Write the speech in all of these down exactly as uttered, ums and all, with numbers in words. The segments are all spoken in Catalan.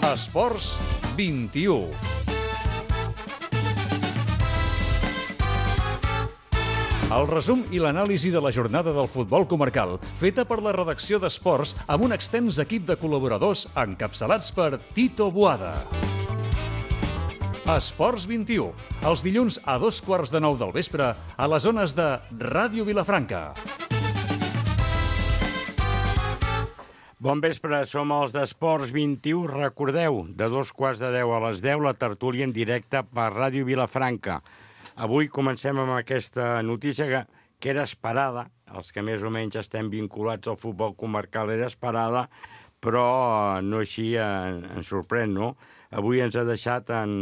Esports vint-i-u. El resum i l'anàlisi de la jornada del futbol comarcal, feta per la redacció d'Esports amb un extens equip de col·laboradors encapçalats per Tito Boada. Esports vint-i-u, els dilluns a dos quarts de nou del vespre a les zones de Ràdio Vilafranca. Bon vespre, som els d'Esports vint-i-u. Recordeu, de dos quarts de deu a les deu, la tertúlia en directe per Ràdio Vilafranca. Avui comencem amb aquesta notícia que, que era esperada, els que més o menys estem vinculats al futbol comarcal era esperada, però no així en, ens sorprèn, no? Avui ens ha deixat en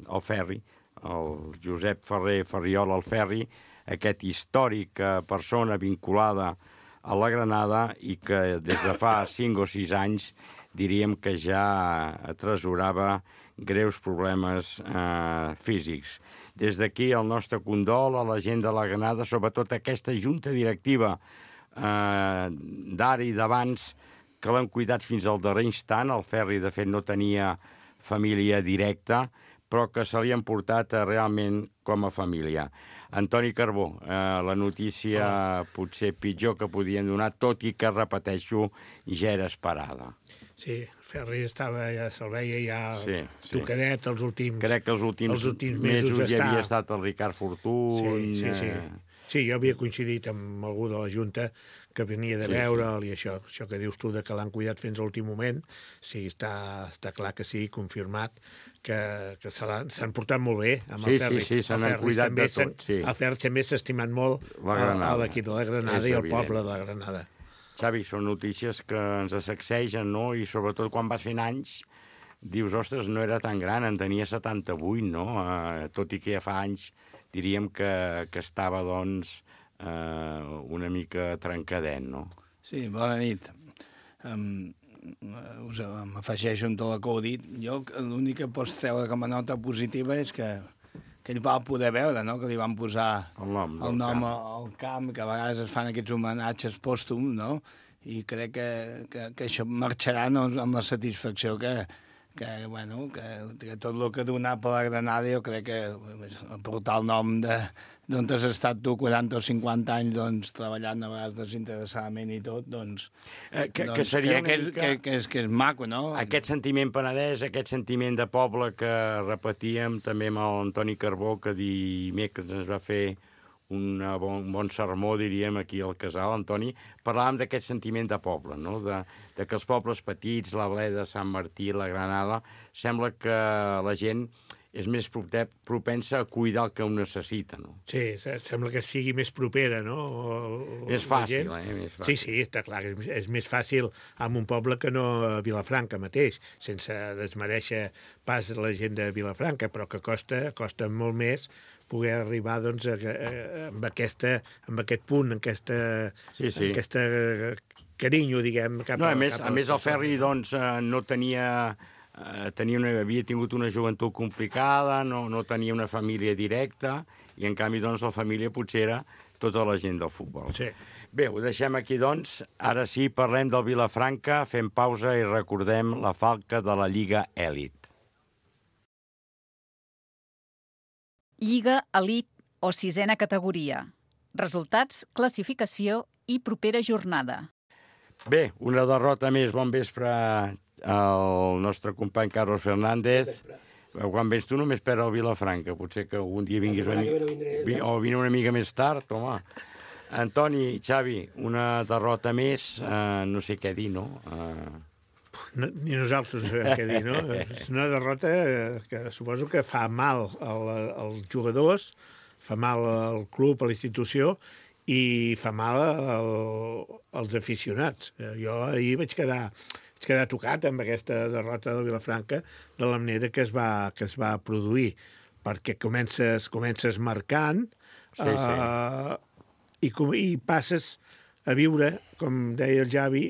el Ferri, el Josep Ferrer Ferriol el Ferri, aquest històric persona vinculada a la Granada i que des de fa cinc o sis anys diríem que ja atresorava greus problemes eh, físics. Des d'aquí el nostre condol a la gent de la Granada, sobretot aquesta junta directiva eh, d'ara i d'abans, que l'han cuidat fins al darrer instant. El Ferri, de fet, no tenia família directa, però que se li han portat eh, realment com a família. Antoni Carbó, eh, la notícia oh. potser pitjor que podien donar, tot i que, repeteixo, ja era esperada. Sí, Ferri estava, ja se'l veia ja sí, sí. tocadet els últims Crec que els últims, els últims mesos, mesos ja hi havia estat el Ricard Fortuny. Sí, sí, sí. Eh... sí, jo havia coincidit amb algú de la Junta que venia de sí, veure'l sí. i això, això que dius tu de que l'han cuidat fins a l'últim moment, sí, està, està clar que sí, confirmat, que, que s'han portat molt bé amb sí, el Ferri. Sí, sí, se n'han cuidat de tot. Sí. El Ferri també s'ha estimat molt a l'equip de la Granada i al poble de la Granada. Xavi, són notícies que ens sacsegen, no? I sobretot quan vas fent anys, dius, ostres, no era tan gran, en tenia setanta-vuit, no? Uh, tot i que ja fa anys diríem que, que estava, doncs, uh, una mica trencadet, no? Sí, bona nit. Um, us m'afegeixo amb tot el que heu dit. Jo l'únic que pots treure com a nota positiva és que que ell va poder veure, no?, que li van posar el nom, el nom al camp, que a vegades es fan aquests homenatges pòstums, no?, i crec que, que, que això marxarà, no?, amb la satisfacció que, que, bueno, que, que tot el que ha donat per la Granada, jo crec que portar el nom de d'on has estat tu quaranta o cinquanta anys, doncs, treballant a vegades desinteressadament i tot, doncs... Eh, que, doncs que seria que, mica... que, que, és, que és maco, no? Aquest sentiment penedès, aquest sentiment de poble que repetíem també amb l'Antoni Carbó, que dimecres ens va fer un bon, un bon sermó, diríem, aquí al Casal, Antoni, parlàvem d'aquest sentiment de poble, no? De, de que els pobles petits, la Bleda, Sant Martí, la Granada, sembla que la gent és més propensa a cuidar el que ho necessita, no? Sí, sembla que sigui més propera, no? Més fàcil, eh? Més fàcil. Sí, sí, està clar, és, és més fàcil en un poble que no a Vilafranca mateix, sense desmereixer pas la gent de Vilafranca, però que costa, costa molt més poder arribar, doncs, a, a, amb, aquesta, amb aquest punt, amb aquesta, sí, sí. aquesta carinyo, diguem, cap no, a, a... més, cap a més, el Ferri, doncs, no tenia... Uh, tenia una, havia tingut una joventut complicada, no, no tenia una família directa, i en canvi, doncs, la família potser era tota la gent del futbol. Sí. Bé, ho deixem aquí, doncs. Ara sí, parlem del Vilafranca, fem pausa i recordem la falca de la Lliga Elit. Lliga Elit o sisena categoria. Resultats, classificació i propera jornada. Bé, una derrota més. Bon vespre el nostre company Carlos Fernández. Quan vens tu només per al Vilafranca, potser que un dia vinguis una mica, o vine una mica més tard, home. Antoni, Xavi, una derrota més, uh, no sé què dir, no? Uh... no ni nosaltres sabem què dir, no? És una derrota que suposo que fa mal al, als jugadors, fa mal al club, a la institució, i fa mal al, als aficionats. Jo ahir vaig quedar... vaig quedar tocat amb aquesta derrota de Vilafranca de la manera que es va, que es va produir, perquè comences, comences marcant sí, sí. Uh, i, com, i passes a viure, com deia el Javi,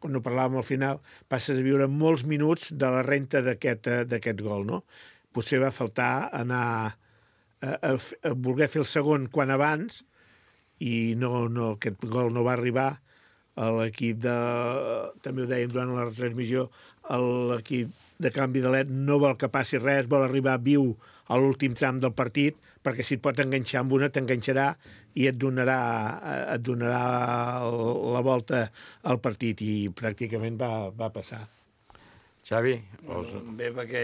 quan ho parlàvem al final, passes a viure molts minuts de la renta d'aquest gol, no? Potser va faltar anar a, a, a voler fer el segon quan abans i no, no, aquest gol no va arribar. l'equip de... també ho dèiem durant la retransmissió, l'equip de Can Vidalet no vol que passi res, vol arribar viu a l'últim tram del partit, perquè si et pot enganxar amb una, t'enganxarà i et donarà, et donarà la volta al partit, i pràcticament va, va passar. Xavi? Els... Bé, perquè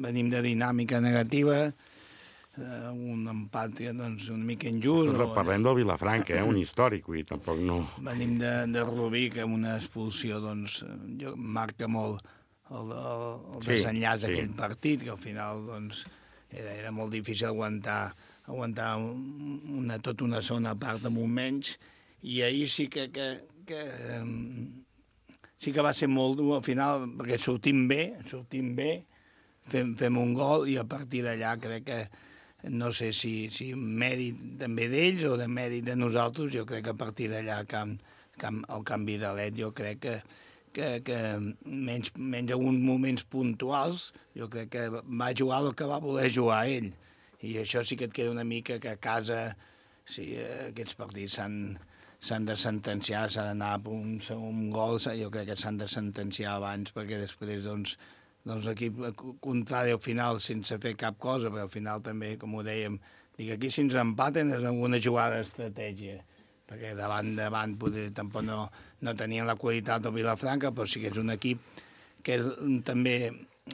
venim de dinàmica negativa, eh, un empat doncs, una mica injust. Però parlem del Vilafranca, eh? Un històric, i tampoc no... Venim de, de Rubí, que amb una expulsió doncs, jo, marca molt el, el, el desenllaç sí, d'aquell sí. partit, que al final doncs, era, era molt difícil aguantar, aguantar una, tota una segona part amb un menys, i ahir sí que... que, que sí que va ser molt dur al final, perquè sortim bé, sortim bé, fem, fem un gol, i a partir d'allà crec que, no sé si, si mèrit també d'ells o de mèrit de nosaltres, jo crec que a partir d'allà camp, camp, el canvi de l'E T, jo crec que, que, que menys, menys alguns moments puntuals, jo crec que va jugar el que va voler jugar ell, i això sí que et queda una mica que a casa, si aquests partits s'han... s'han de sentenciar, s'ha d'anar per un segon gol, jo crec que s'han de sentenciar abans, perquè després, doncs, doncs l'equip contrari al final, sense fer cap cosa, però al final també, com ho dèiem, dic, aquí si ens empaten és alguna jugada d'estratègia, perquè davant, davant, poder, tampoc no, no tenien la qualitat del Vilafranca, però sí que és un equip que és també...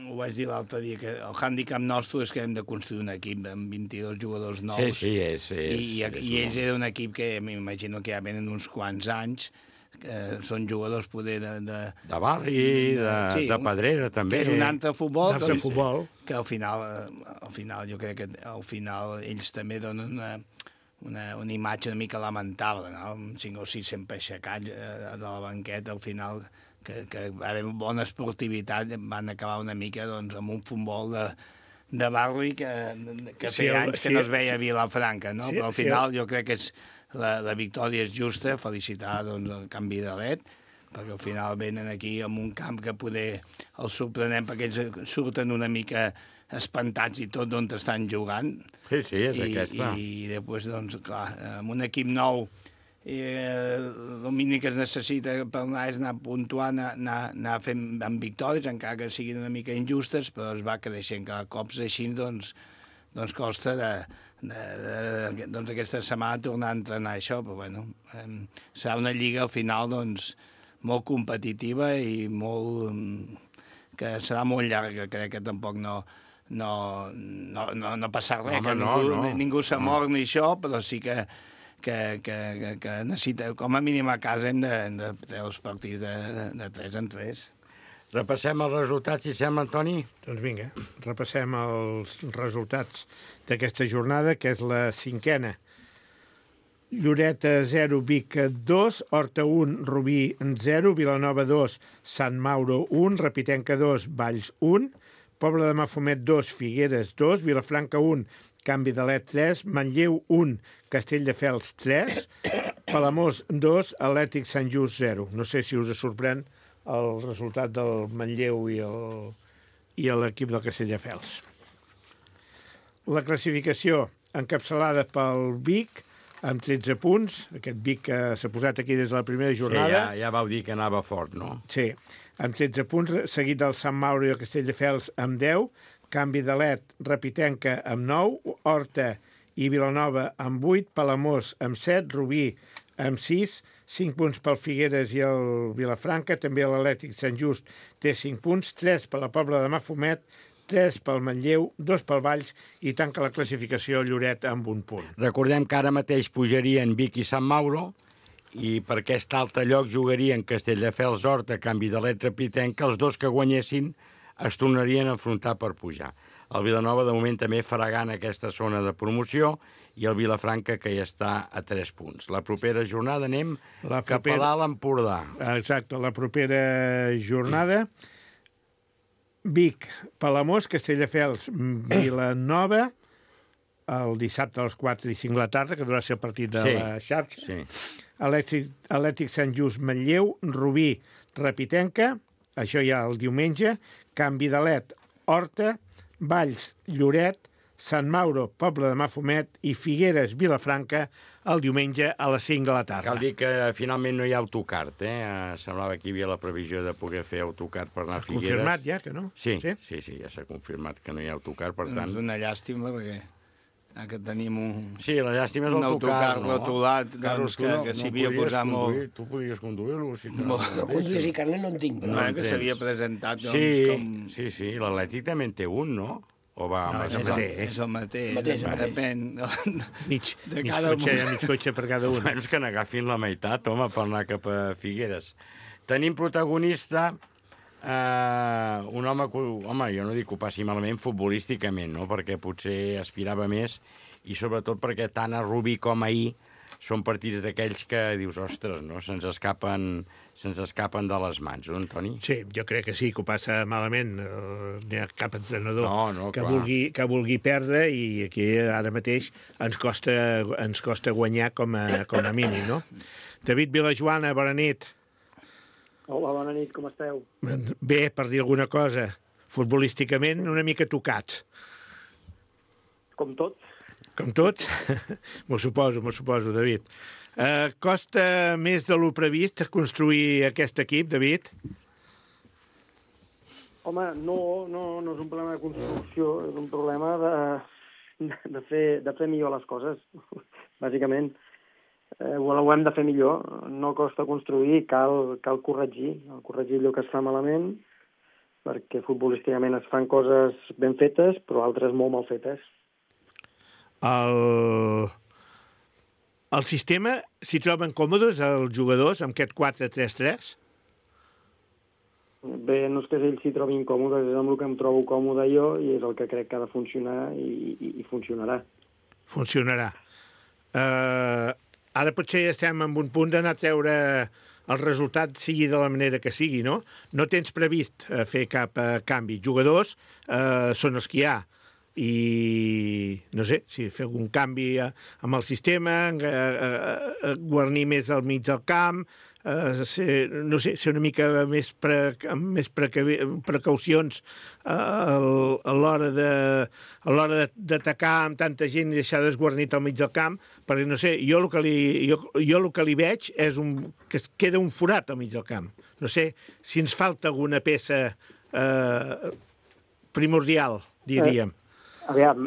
Ho vaig dir l'altre dia, que el hàndicap nostre és que hem de construir un equip amb vint-i-dos jugadors nous. Sí, sí, és... és I, i, és i ells eren un equip que m'imagino que ja venen uns quants anys, que són jugadors poder de... De, de barri, de, de, sí, de pedrera, també. Que és un altre futbol. Un altre doncs, futbol. Que al final, al final, jo crec que al final ells també donen una, una, una imatge una mica lamentable, no? Amb cinc o sis sempre aixecats de la banqueta, al final... que, que va haver bona esportivitat, van acabar una mica doncs, amb un futbol de, de barri que, que sí, feia anys sí, que no es veia a Vilafranca, no? Sí, però al final sí, jo crec que és, la, la victòria és justa, felicitar doncs, el canvi de l'E T, perquè al final venen aquí amb un camp que poder els sorprenem, perquè ells surten una mica espantats i tot d'on estan jugant. Sí, sí, és I, aquesta. I, i després, doncs, clar, amb un equip nou, i eh, el mínim que es necessita per anar és anar puntuant, anar, anar fent amb victòries, encara que siguin una mica injustes, però es va creixent cada cops així, doncs, doncs costa de, de, de, doncs aquesta setmana tornar a entrenar això, però bueno, eh, serà una lliga al final doncs, molt competitiva i molt, que serà molt llarga, crec que tampoc no, no, no, no, no passar res, Home, que ningú, no, no. ningú se mor ni això, però sí que Que, que, que, que necessita, com a mínim a casa hem de, de treure els partits de, de, de tres en tres. Repassem els resultats, si sembla, Antoni? Doncs vinga, repassem els resultats d'aquesta jornada, que és la cinquena. Lloret zero, Vic dos, Horta un, Rubí zero, Vilanova dos, Sant Mauro un, Repitenca dos, Valls un, Pobla de Mafumet dos, Figueres dos, Vilafranca un, Canvi de l'E T tres, Manlleu un, Castelldefels tres, Palamós dos, Atlètic Sant Just zero. No sé si us sorprèn el resultat del Manlleu i el, i l'equip del Castelldefels. La classificació encapçalada pel Vic, amb tretze punts, aquest Vic que s'ha posat aquí des de la primera jornada. Sí, ja, ja vau dir que anava fort, no? Sí, amb tretze punts, seguit del Sant Mauro i el Castelldefels amb deu, Canvi de l'E T, Repitenca amb nou, Horta i Vilanova amb vuit, Palamós amb set, Rubí amb sis, cinc punts pel Figueres i el Vilafranca, també l'Atlètic Sant Just té cinc punts, tres per la Pobla de Mafumet, tres pel Manlleu, dos pel Valls i tanca la classificació Lloret amb un punt. Recordem que ara mateix pujarien Vic i Sant Mauro i per aquest altre lloc jugarien Castelldefels, Horta, Canvi de l'E T, Repitenca, els dos que guanyessin es tornarien a enfrontar per pujar. El Vilanova, de moment, també farà gana aquesta zona de promoció i el Vilafranca, que ja està a tres punts. La propera jornada anem la propera... cap a dalt Empordà. Exacte, la propera jornada Vic, Palamós, Castelldefels, Vilanova, el dissabte a les quatre i cinc de la tarda, que durarà ser el partit de sí, la xarxa. Sí. Atlètic, Atlètic Sant Just, Manlleu, Rubí, Repitenca, això ja el diumenge, Canvi de l'E T, Horta, Valls, Lloret, Sant Mauro, Pobla de Mafumet i Figueres, Vilafranca el diumenge a les cinc de la tarda. Cal dir que finalment no hi ha autocart, eh? Semblava que hi havia la previsió de poder fer autocart per anar a Figueres. Confirmat ja, que no? Sí, sí, sí, sí ja s'ha confirmat que no hi ha autocart, per tant... És una llàstima, perquè que tenim un... Sí, la llàstima és un autocar, no? rotulat, Carlos, doncs, que, no, que s'hi no havia posat molt... Tu podries conduir-lo, si te Molt. No conduir i carnet no en tinc, però... No, en que tens. s'havia presentat, doncs, Sí, com... sí, sí, l'Atlètic també en té un, no? O va No, amb és els el És el, mateix. és el mateix, Mateix, el mateix. depèn. Mig, De mig, cada cotxe, un. mig cotxe per cada un. Menys que n'agafin la meitat, home, per anar cap a Figueres. Tenim protagonista eh, un home que, home, jo no dic que ho passi malament futbolísticament, no? Perquè potser aspirava més, i sobretot perquè tant a Rubí com ahir són partits d'aquells que dius, ostres, no? Se'ns escapen, se'ns escapen de les mans, no, Antoni? Sí, jo crec que sí, que ho passa malament. Uh, no hi ha cap entrenador No, no, que, clar. vulgui, que vulgui perdre, i aquí ara mateix ens costa, ens costa guanyar com a, com a mínim, no? David Vilajoana, bona nit. Hola, bona nit, com esteu? Bé, per dir alguna cosa, futbolísticament una mica tocats. Com tots? Com tots? M'ho suposo, m'ho suposo, David. Uh, costa més de lo previst construir aquest equip, David? Home, no, no, no és un problema de construcció, és un problema de, de, fer, de fer millor les coses, bàsicament. Eh, ho hem de fer millor, no costa construir, cal, cal corregir, cal corregir allò que es fa malament, perquè futbolísticament es fan coses ben fetes, però altres molt mal fetes. El, el sistema, s'hi troben còmodes els jugadors amb aquest quatre tres tres? Bé, no és que ells s'hi trobin còmodes, és amb el que em trobo còmode jo i és el que crec que ha de funcionar i, i, i funcionarà. Funcionarà. Uh, ara potser estem en un punt d'anar a treure el resultat sigui de la manera que sigui, no? No tens previst uh, fer cap uh, canvi. Jugadors uh, són els que hi ha. I no sé, si fer algun canvi uh, amb el sistema, uh, uh, guarnir més al mig del camp, uh, ser, no sé, ser una mica més, pre, amb més precavi, precaucions uh, a l'hora de, a l'hora d'atacar amb tanta gent i deixar desguarnit al mig del camp, perquè no sé, jo el que li, jo, jo el que li veig és un, que es queda un forat al mig del camp. No sé si ens falta alguna peça uh, primordial, diríem. Aviam,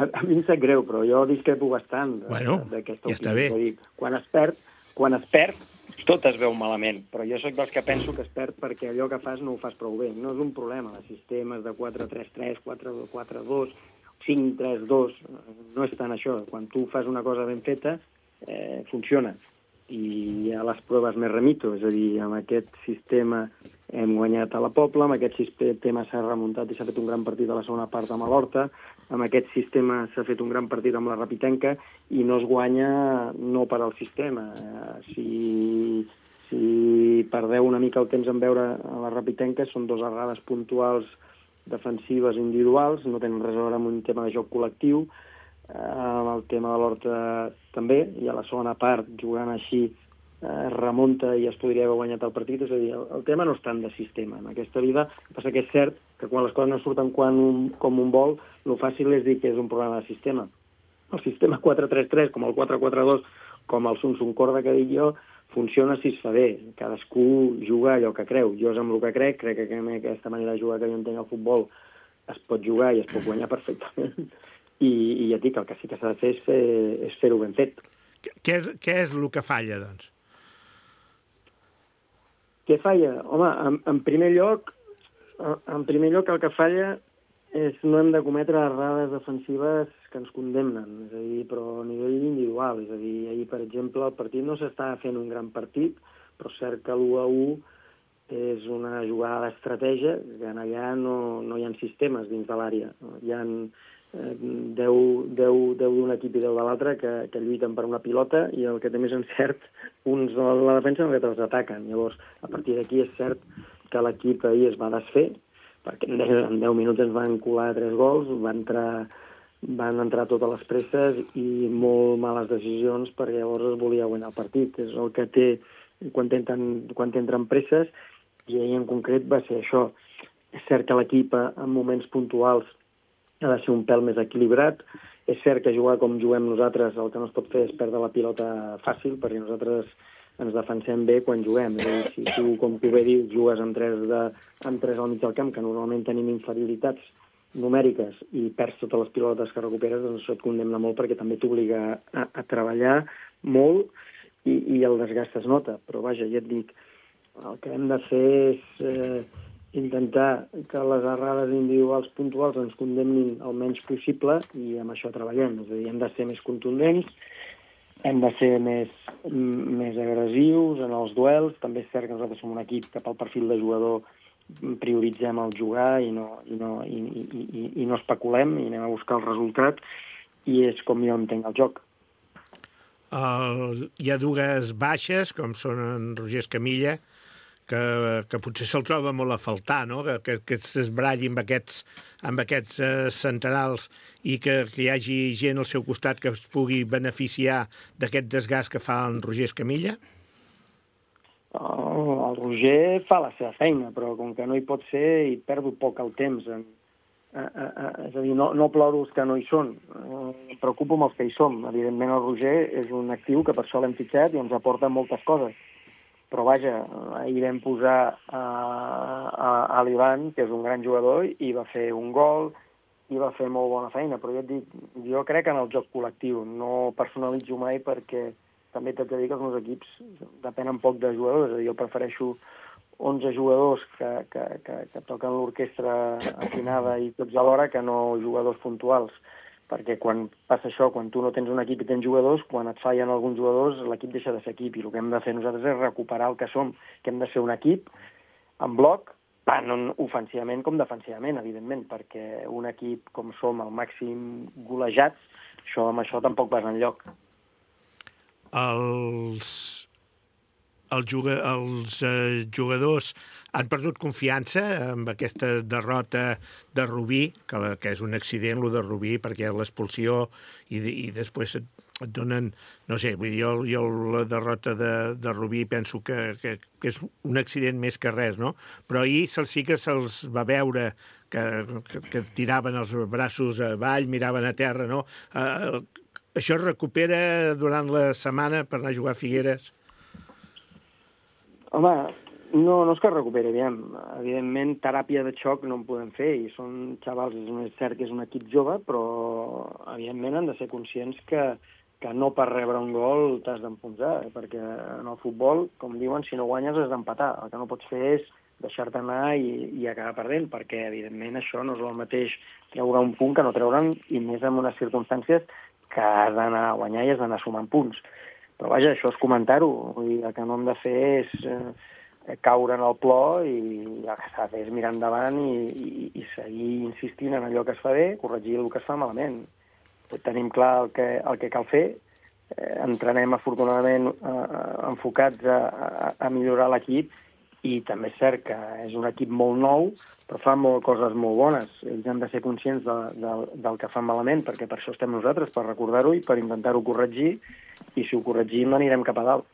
a, a mi em sap greu, però jo discrepo bastant bueno, d'aquesta ja opinió. està bé. Dir, quan es perd, quan es perd, tot es veu malament, però jo sóc dels que penso que es perd perquè allò que fas no ho fas prou bé. No és un problema, de sistemes de quatre tres tres, quatre quatre dos, cinc tres dos, no és tant això. Quan tu fas una cosa ben feta, eh, funciona. I a les proves més remito, és a dir, amb aquest sistema hem guanyat a la Pobla, amb aquest sistema s'ha remuntat i s'ha fet un gran partit a la segona part amb l'Horta, amb aquest sistema s'ha fet un gran partit amb la Rapitenca i no es guanya no per al sistema. Si, si perdeu una mica el temps en veure a la Rapitenca, són dues errades puntuals defensives individuals, no tenen res a veure amb un tema de joc col·lectiu, amb el tema de l'Horta també, i a la segona part, jugant així, es remunta i es podria haver guanyat el partit. És a dir, el, el tema no és tant de sistema en aquesta vida. El que passa que és cert que quan les coses no surten quan un, com un vol, el fàcil és dir que és un problema de sistema. El sistema quatre tres tres, com el quatre quatre dos, com el Sun-Sun Corda que dic jo, funciona si es fa bé. Cadascú juga allò que creu. Jo és amb el que crec, crec que amb aquesta manera de jugar que jo entenc al futbol es pot jugar i es pot guanyar perfectament. I, i ja et dic, el que sí que s'ha de fer és, fer, és fer-ho ben fet. Què és, què és el que falla, doncs? Què falla? Home, en, en primer lloc, en primer lloc el que falla és no hem de cometre errades defensives que ens condemnen, és a dir, però a nivell individual. És a dir, ahir, per exemple, el partit no s'estava fent un gran partit, però és cert que l'u a u és una jugada d'estratègia, que allà no, no hi ha sistemes dins de l'àrea. Hi ha deu d'un equip i deu de l'altre que, que lluiten per una pilota i el que té més encert, uns de la defensa i els ataquen. Llavors, a partir d'aquí és cert que l'equip ahir es va desfer, perquè en deu minuts ens van colar tres gols, van entrar, van entrar totes les presses i molt males decisions perquè llavors es volia guanyar el partit. És el que té quan tenen, quan tenen presses, i ahir en concret va ser això. És cert que l'equip en moments puntuals ha de ser un pèl més equilibrat. És cert que jugar com juguem nosaltres el que no es pot fer és perdre la pilota fàcil, perquè nosaltres ens defensem bé quan juguem. És a dir, si tu, com tu bé dius, jugues amb tres, de, amb tres al mig del camp, que normalment tenim inferioritats numèriques, i perds totes les pilotes que recuperes, doncs això et condemna molt perquè també t'obliga a, a treballar molt i, i el desgast es nota. Però vaja, ja et dic, el que hem de fer és eh, intentar que les errades individuals puntuals ens condemnin el menys possible i amb això treballem. És a dir, hem de ser més contundents, hem de ser més, més agressius en els duels. També és cert que nosaltres som un equip que pel perfil de jugador prioritzem el jugar i no, i no, i, i, i, i no especulem i anem a buscar el resultat, i és com jo entenc el joc. El, hi ha dues baixes, com són en Roger Escamilla, que, que potser se'l troba molt a faltar, no? que, que, que s'esbralli amb aquests, amb aquests uh, centrals i que, que hi hagi gent al seu costat que es pugui beneficiar d'aquest desgast que fa en Roger Escamilla? El, el Roger fa la seva feina, però com que no hi pot ser, hi perdo poc el temps. En, a, a, a, és a dir, no, no ploro els que no hi són, em preocupo amb els que hi som. Evidentment el Roger és un actiu que per això l'hem fitxat i ens aporta moltes coses. Però vaja, ahir vam posar a, a, a l'Ivan, que és un gran jugador, i va fer un gol, i va fer molt bona feina. Però jo et dic, jo crec en el joc col·lectiu, no personalitzo mai perquè també t'haig de dir que els meus equips depenen poc de jugadors. És a dir, jo prefereixo onze jugadors que, que, que, que toquen l'orquestra afinada i tots alhora que no jugadors puntuals. Perquè quan passa això, quan tu no tens un equip i tens jugadors, quan et fallen alguns jugadors, l'equip deixa de ser equip. I el que hem de fer nosaltres és recuperar el que som, que hem de ser un equip en bloc, tant ofensivament com defensivament, evidentment, perquè un equip com som al màxim golejats, això, amb això tampoc vas enlloc. Els, els, juga, els eh, jugadors han perdut confiança amb aquesta derrota de Rubí, que, la, que és un accident, el de Rubí, perquè l'expulsió i, i després et, et donen... No sé, vull dir, jo, jo la derrota de, de Rubí penso que, que, que és un accident més que res, no? Però ahir sí que se'ls va veure que, que, que tiraven els braços avall, miraven a terra, no? Eh, Això es recupera durant la setmana per anar a jugar a Figueres? Home, no, no és que es recuperi, aviam. Evidentment, teràpia de xoc no en podem fer, i són xavals, és cert que és un equip jove, però evidentment han de ser conscients que, que no per rebre un gol t'has d'enfonsar, perquè en el futbol, com diuen, si no guanyes has d'empatar. El que no pots fer és deixar-te anar i, i acabar perdent, perquè evidentment això no és el mateix treure un punt que no treure'n, i més en unes circumstàncies que has d'anar a guanyar i has d'anar sumant punts. Però vaja, això és comentar-ho. Vull dir, el que no hem de fer és eh, caure en el plor, i el que s'ha de fer és mirar endavant i, i, i seguir insistint en allò que es fa bé, corregir el que es fa malament. Tenim clar el que, el que cal fer, eh, entrenem afortunadament eh, enfocats a, a, a millorar l'equip, i també és cert que és un equip molt nou, però fa molt, coses molt bones. Ells han de ser conscients de, de, del que fan malament, perquè per això estem nosaltres, per recordar-ho i per intentar-ho corregir, i si ho corregim anirem cap a dalt.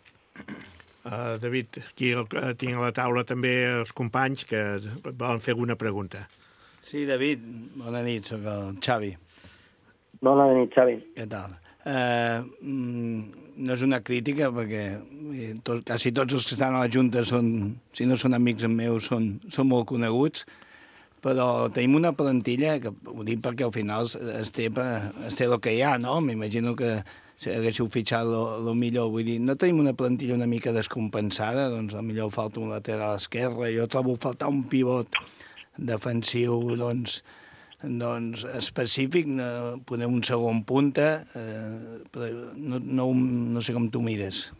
Uh, David, aquí el, tinc a la taula també els companys que volen fer alguna pregunta. Sí, David, bona nit, soc el Xavi. Bona nit, Xavi. Què tal? Eh, no és una crítica, perquè tot, quasi tots els que estan a la Junta són, si no són amics meus, són, són molt coneguts, però tenim una plantilla, que ho dic perquè al final es té, es té el que hi ha, no? M'imagino que si haguéssiu fitxat el millor, vull dir, no tenim una plantilla una mica descompensada, doncs potser falta un lateral esquerre, jo trobo faltar un pivot defensiu, doncs, doncs específic, no, poder un segon punta, eh, però no, no, no sé com tu mires.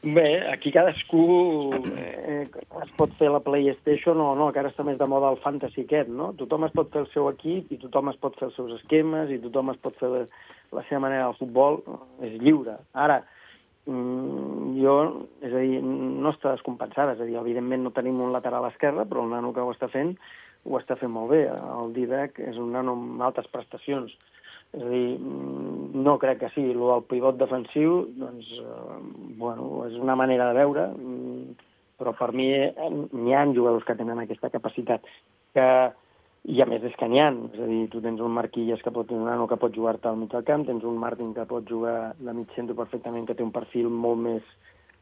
Bé, aquí cadascú eh, es pot fer la PlayStation o no, que ara està més de moda el fantasy aquest, no? Tothom es pot fer el seu equip i tothom es pot fer els seus esquemes i tothom es pot fer la, la seva manera del futbol, és lliure. Ara, jo, és a dir, no està descompensada, és a dir, evidentment no tenim un lateral esquerre, però el nano que ho està fent, ho està fent molt bé. El Didac és un nano amb altes prestacions. És a dir, no crec que sigui. El del pivot defensiu, doncs, eh, bueno, és una manera de veure, però per mi n'hi ha jugadors que tenen aquesta capacitat. Que I a més és que n'hi ha, és a dir, tu tens un Marquilles que pot, un nano que pot jugar-te al mig del camp, tens un Martin que pot jugar de mig centre perfectament, que té un perfil molt més,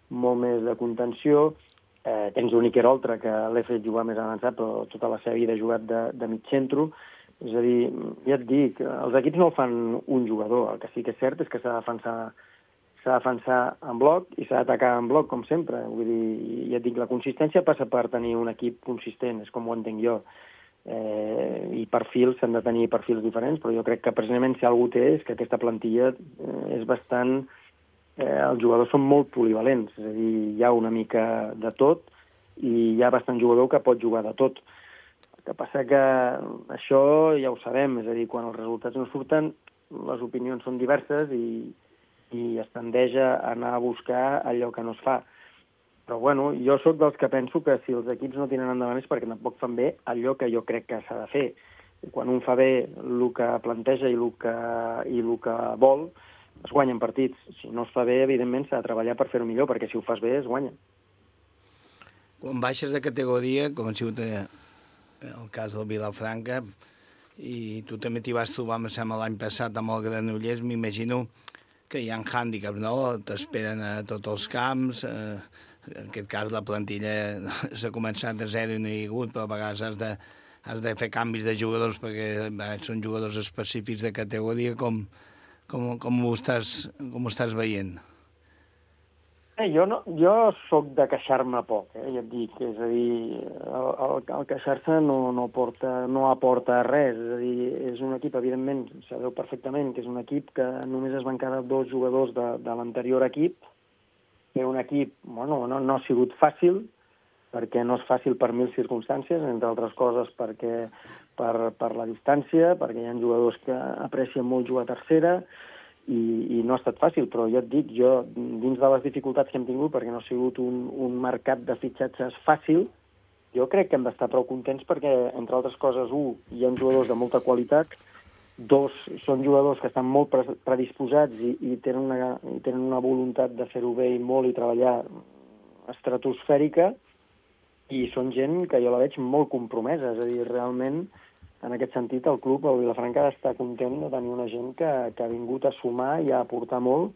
molt més de contenció, eh, tens un Iker Oltra que l'he fet jugar més avançat, però tota la seva vida ha jugat de, de mig centre. És a dir, ja et dic, els equips no el fan un jugador, el que sí que és cert és que s'ha de defensar, s'ha de defensar en bloc i s'ha d'atacar en bloc, com sempre. Vull dir, ja et dic, la consistència passa per tenir un equip consistent, és com ho entenc jo. Eh, I perfils, s'han de tenir perfils diferents, però jo crec que precisament si algú té és que aquesta plantilla eh, és bastant... Eh, els jugadors són molt polivalents, és a dir, hi ha una mica de tot i hi ha bastant jugador que pot jugar de tot. El que passa que això ja ho sabem, és a dir, quan els resultats no surten, les opinions són diverses i, i es tendeix a anar a buscar allò que no es fa. Però, bueno, jo sóc dels que penso que si els equips no tiren endavant és perquè tampoc fan bé allò que jo crec que s'ha de fer. Quan un fa bé el que planteja i el que, i el que vol, es guanyen partits. Si no es fa bé, evidentment, s'ha de treballar per fer-ho millor, perquè si ho fas bé, es guanya. Quan baixes de categoria, com ha sigut el cas del Vilafranca, i tu també t'hi vas trobar, em sembla, l'any passat amb el Granollers, m'imagino que hi ha hàndicaps, no? T'esperen a tots els camps, eh, en aquest cas la plantilla s'ha començat de zero i no hi ha hagut, però a vegades has de, has de fer canvis de jugadors perquè bé, són jugadors específics de categoria. Com, com, com, ho, estàs, com ho estàs veient? Eh, jo, no, jo sóc de queixar-me poc, eh, ja et dic, és a dir, el, el, el queixar-se no, no, porta, no aporta res, és a dir, és un equip, evidentment, sabeu perfectament que és un equip que només es van quedar dos jugadors de, de l'anterior equip, que un equip, bueno, no, no ha sigut fàcil, perquè no és fàcil per mil circumstàncies, entre altres coses perquè per, per la distància, perquè hi ha jugadors que aprecien molt jugar a tercera, i, i no ha estat fàcil, però ja et dic, jo, dins de les dificultats que hem tingut, perquè no ha sigut un, un mercat de fitxatges fàcil, jo crec que hem d'estar prou contents perquè, entre altres coses, un, hi ha jugadors de molta qualitat, dos, són jugadors que estan molt predisposats i, i, tenen una, i tenen una voluntat de fer-ho bé i molt i treballar estratosfèrica, i són gent que jo la veig molt compromesa, és a dir, realment, en aquest sentit, el club, el Vilafranca, ha d'estar content de tenir una gent que, que ha vingut a sumar i a aportar molt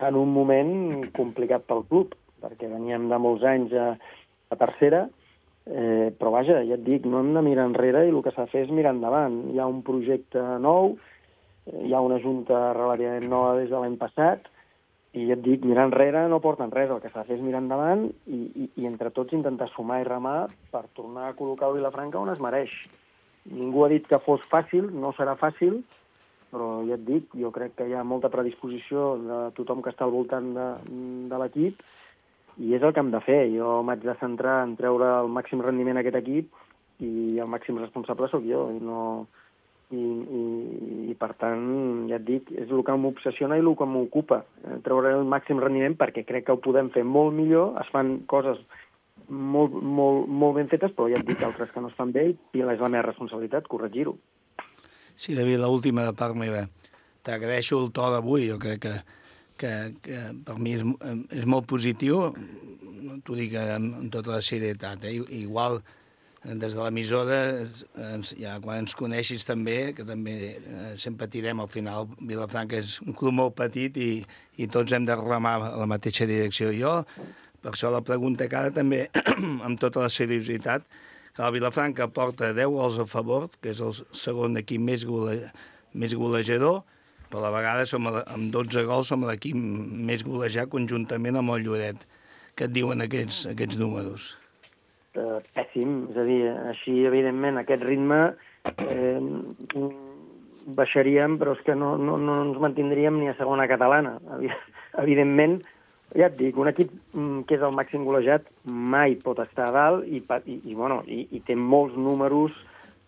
en un moment complicat pel club, perquè veníem de molts anys a, a tercera, eh, però vaja, ja et dic, no hem de mirar enrere i el que s'ha de fer és mirar endavant. Hi ha un projecte nou, hi ha una junta relativament nova des de l'any passat, i ja et dic, mirar enrere no porten res, el que s'ha de fer és mirar endavant i, i, i entre tots intentar sumar i remar per tornar a col·locar el Vilafranca on es mereix. Ningú ha dit que fos fàcil, no serà fàcil, però ja et dic, jo crec que hi ha molta predisposició de tothom que està al voltant de, de l'equip i és el que hem de fer. Jo m'haig de centrar en treure el màxim rendiment a aquest equip i el màxim responsable sóc jo. I, no, i, i, i per tant, ja et dic, és el que m'obsessiona i el que m'ocupa. Treure el màxim rendiment perquè crec que ho podem fer molt millor, es fan coses molt, molt, molt ben fetes, però ja et dic altres que no es fan bé i és la meva responsabilitat corregir-ho. Sí, David, l'última de part meva. T'agraeixo el to d'avui, jo crec que, que, que per mi és, és molt positiu, t'ho dic amb, amb tota la serietat. Eh? Igual, des de l'emissora, ja, quan ens coneixis també, que també eh, sempre tirem, al final Vilafranca és un club molt petit i, i tots hem de remar a la mateixa direcció. Jo, per això la pregunta que ara també, amb tota la seriositat, que el Vilafranca porta deu gols a favor, que és el segon equip més, gole, més golejador, però a la vegada som a, amb dotze gols som l'equip més golejat conjuntament amb el Lloret. Què et diuen aquests, aquests números? Eh, pèssim, és a dir, així, evidentment, aquest ritme eh, baixaríem, però és que no, no, no ens mantindríem ni a segona catalana. Evidentment, ja et dic, un equip que és el màxim golejat mai pot estar a dalt i, i, i, bueno, i, i té molts números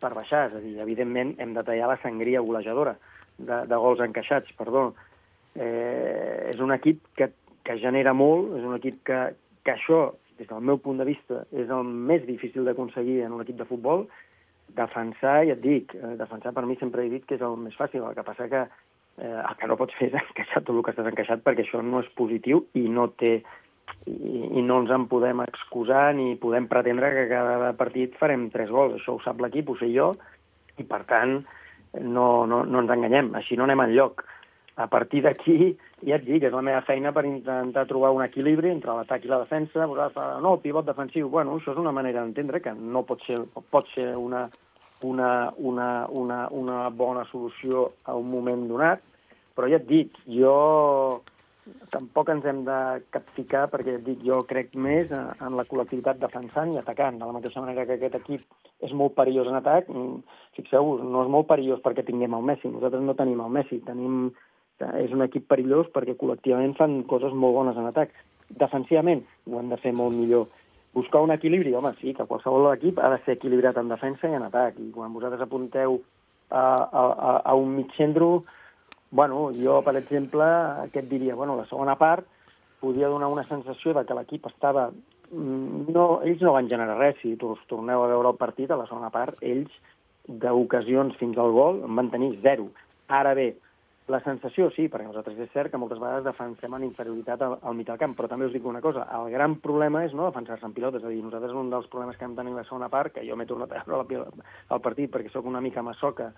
per baixar. És a dir, evidentment, hem de tallar la sangria golejadora de, de gols encaixats, perdó. Eh, és un equip que, que genera molt, és un equip que, que això, des del meu punt de vista, és el més difícil d'aconseguir en un equip de futbol. Defensar, ja et dic, defensar per mi sempre he dit que és el més fàcil, el que passa que Eh, el que no pots fer és encaixar tot el que estàs encaixat perquè això no és positiu i no té i, i no ens en podem excusar ni podem pretendre que cada partit farem tres gols. Això ho sap l'equip, ho sé jo, I, per tant, no, no, no ens enganyem, així no anem enlloc. A partir d'aquí, ja et dic, és la meva feina per intentar trobar un equilibri entre l'atac i la defensa. No, el pivot defensiu, bueno, això és una manera d'entendre que no pot ser, pot ser una, una, una, una, una bona solució a un moment donat, però ja et dic, jo tampoc ens hem de capficar, perquè et dic, jo crec més en la col·lectivitat defensant i atacant, de la mateixa manera que aquest equip és molt perillós en atac. Fixeu-vos, no és molt perillós perquè tinguem el Messi, nosaltres no tenim el Messi, tenim, és un equip perillós perquè col·lectivament fan coses molt bones en atac. Defensivament ho hem de fer molt millor. Buscar un equilibri, home, sí, que qualsevol equip ha de ser equilibrat en defensa i en atac, i quan vosaltres apunteu a, a, a un mig centre, bueno, jo, per exemple, què et diria? Bueno, la segona part podia donar una sensació de que l'equip estava... No, ells no van generar res. Si torneu a veure el partit, a la segona part, ells, d'ocasions fins al gol, en van tenir zero. Ara bé, la sensació, sí, perquè nosaltres és cert que moltes vegades defensem en inferioritat al, al mig del camp, però també us dic una cosa, el gran problema és no defensar-se en pilota, és a dir, nosaltres un dels problemes que hem tenit la segona part, que jo m'he tornat a veure el partit perquè sóc una mica massoca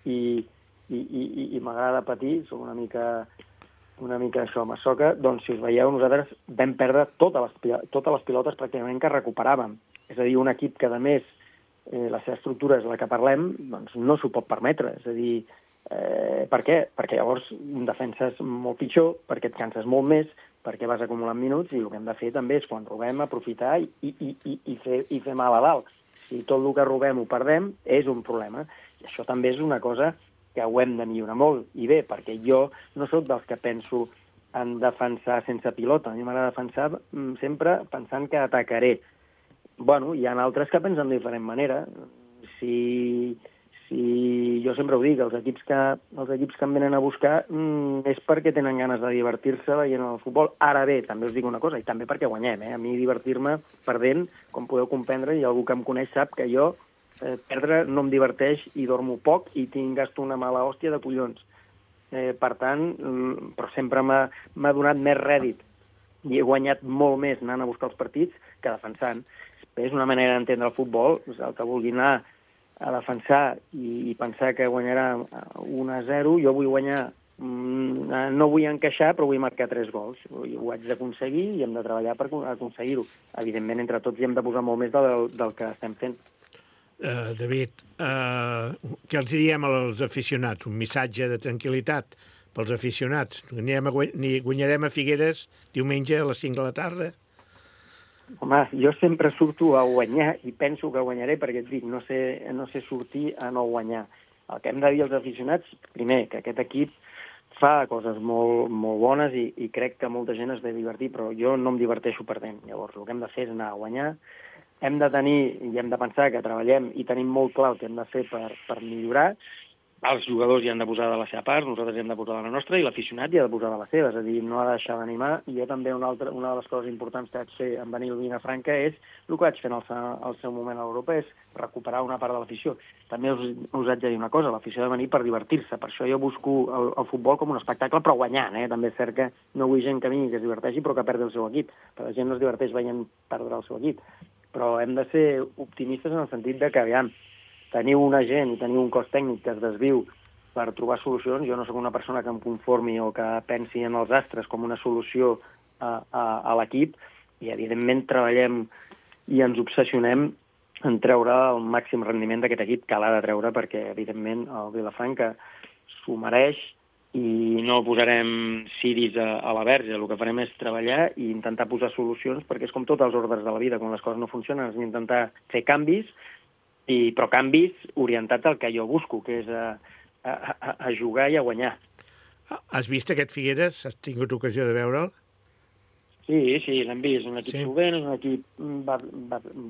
i... i, i, i m'agrada patir, soc una mica, una mica això, massoca, doncs si us veieu, nosaltres vam perdre totes les, totes les pilotes pràcticament que recuperàvem. És a dir, un equip que, a més, eh, la seva estructura és la que parlem, doncs no s'ho pot permetre. És a dir, eh, per què? Perquè llavors defenses molt pitjor, perquè et canses molt més, perquè vas acumulant minuts, i el que hem de fer també és, quan robem, aprofitar i, i, i, i, fer, i fer mal a dalt. Si tot el que robem ho perdem, és un problema. I això també és una cosa que ho hem de millorar molt. I bé, perquè jo no sóc dels que penso en defensar sense pilota. A mi m'agrada defensar sempre pensant que atacaré. Bueno, hi ha altres que pensen de diferent manera. Si, si jo sempre ho dic, els equips que, els equips que em venen a buscar mm, és perquè tenen ganes de divertir-se veient el futbol. Ara bé, també us dic una cosa, i també perquè guanyem. Eh? A mi divertir-me perdent, com podeu comprendre, i algú que em coneix sap que jo Eh, perdre no em diverteix i dormo poc i tinc gasto una mala hòstia de collons. Eh, per tant, mm, però sempre m'ha donat més rèdit i he guanyat molt més anant a buscar els partits que defensant. És una manera d'entendre el futbol, el que vulgui anar a defensar i, i pensar que guanyarà un a zero, jo vull guanyar, mm, no vull encaixar, però vull marcar tres gols. I ho haig d'aconseguir i hem de treballar per aconseguir-ho. Evidentment, entre tots hi hem de posar molt més del, del que estem fent. Uh, David, uh, què els diem als aficionats? Un missatge de tranquil·litat pels aficionats. Anirem a guany... Guanyarem a Figueres diumenge a les cinc de la tarda? Home, jo sempre surto a guanyar i penso que guanyaré perquè et dic, no sé, no sé sortir a no guanyar. El que hem de dir als aficionats, primer, que aquest equip fa coses molt, molt bones i, i crec que molta gent es ve divertir, però jo no em diverteixo perdent. Llavors, el que hem de fer és anar a guanyar. Hem de tenir i hem de pensar que treballem i tenim molt clar el que hem de fer per, per millorar. Els jugadors hi han de posar de la seva part, nosaltres hi hem de posar de la nostra i l'aficionat hi ha de posar de la seva, és a dir, no ha de deixar d'animar. I jo també una, altra, una de les coses importants que vaig fer en venir a Vilafranca és el que vaig fer en el, el seu moment a l'Europa, és recuperar una part de l'afició. També us, us haig de dir una cosa, l'afició ha de venir per divertir-se, per això jo busco el, el futbol com un espectacle, però guanyant, eh? També és cert que no vull gent que vingui, que es diverteixi, però que perdi el seu equip, perquè la gent no es diverteix veient perdre el seu equip. Però hem de ser optimistes en el sentit de que, aviam, teniu una gent i teniu un cos tècnic que es desviu per trobar solucions. Jo no sóc una persona que em conformi o que pensi en els astres com una solució a, a, a l'equip, i evidentment treballem i ens obsessionem en treure el màxim rendiment d'aquest equip, que l'ha de treure perquè, evidentment, el Vilafranca s'ho mereix i no posarem ciris a, a la verge. El que farem és treballar i intentar posar solucions, perquè és com tots els ordres de la vida, quan les coses no funcionen, és intentar fer canvis, i, però canvis orientats al que jo busco, que és a, a, a jugar i a guanyar. Has vist aquest Figueres? Has tingut ocasió de veure'l? Sí, sí, l'hem vist. Un equip sí. solvent, un equip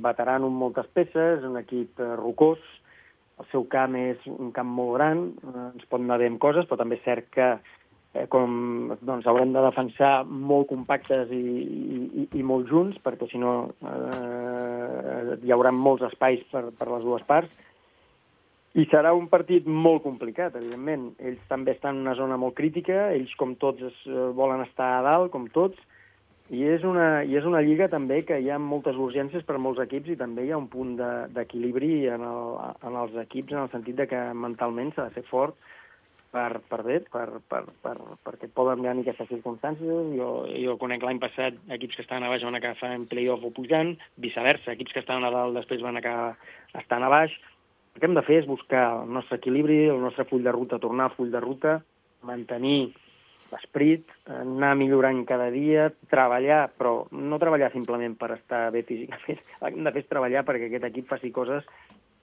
veterano amb moltes peces, un equip eh, rocós. El seu camp és un camp molt gran, eh, ens pot anar bé amb coses, però també és cert que eh, com, doncs, haurem de defensar molt compactes i, i, i molt junts, perquè si no eh, hi haurà molts espais per, per les dues parts. I serà un partit molt complicat, evidentment. Ells també estan en una zona molt crítica, ells com tots es, eh, volen estar a dalt, com tots, I és, una, I és una lliga també que hi ha moltes urgències per molts equips i també hi ha un punt d'equilibri de, en, el, en els equips en el sentit de que mentalment s'ha de ser fort per, per bé, per, per, per, perquè poden venir aquestes circumstàncies. Jo, jo conec l'any passat equips que estaven a baix van acabar en play-off o pujant, viceversa, equips que estaven a dalt després van acabar estant a baix. El que hem de fer és buscar el nostre equilibri, el nostre full de ruta, tornar al full de ruta, mantenir l'esperit, anar millorant cada dia, treballar, però no treballar simplement per estar bé físicament. El que hem de fer és treballar perquè aquest equip faci coses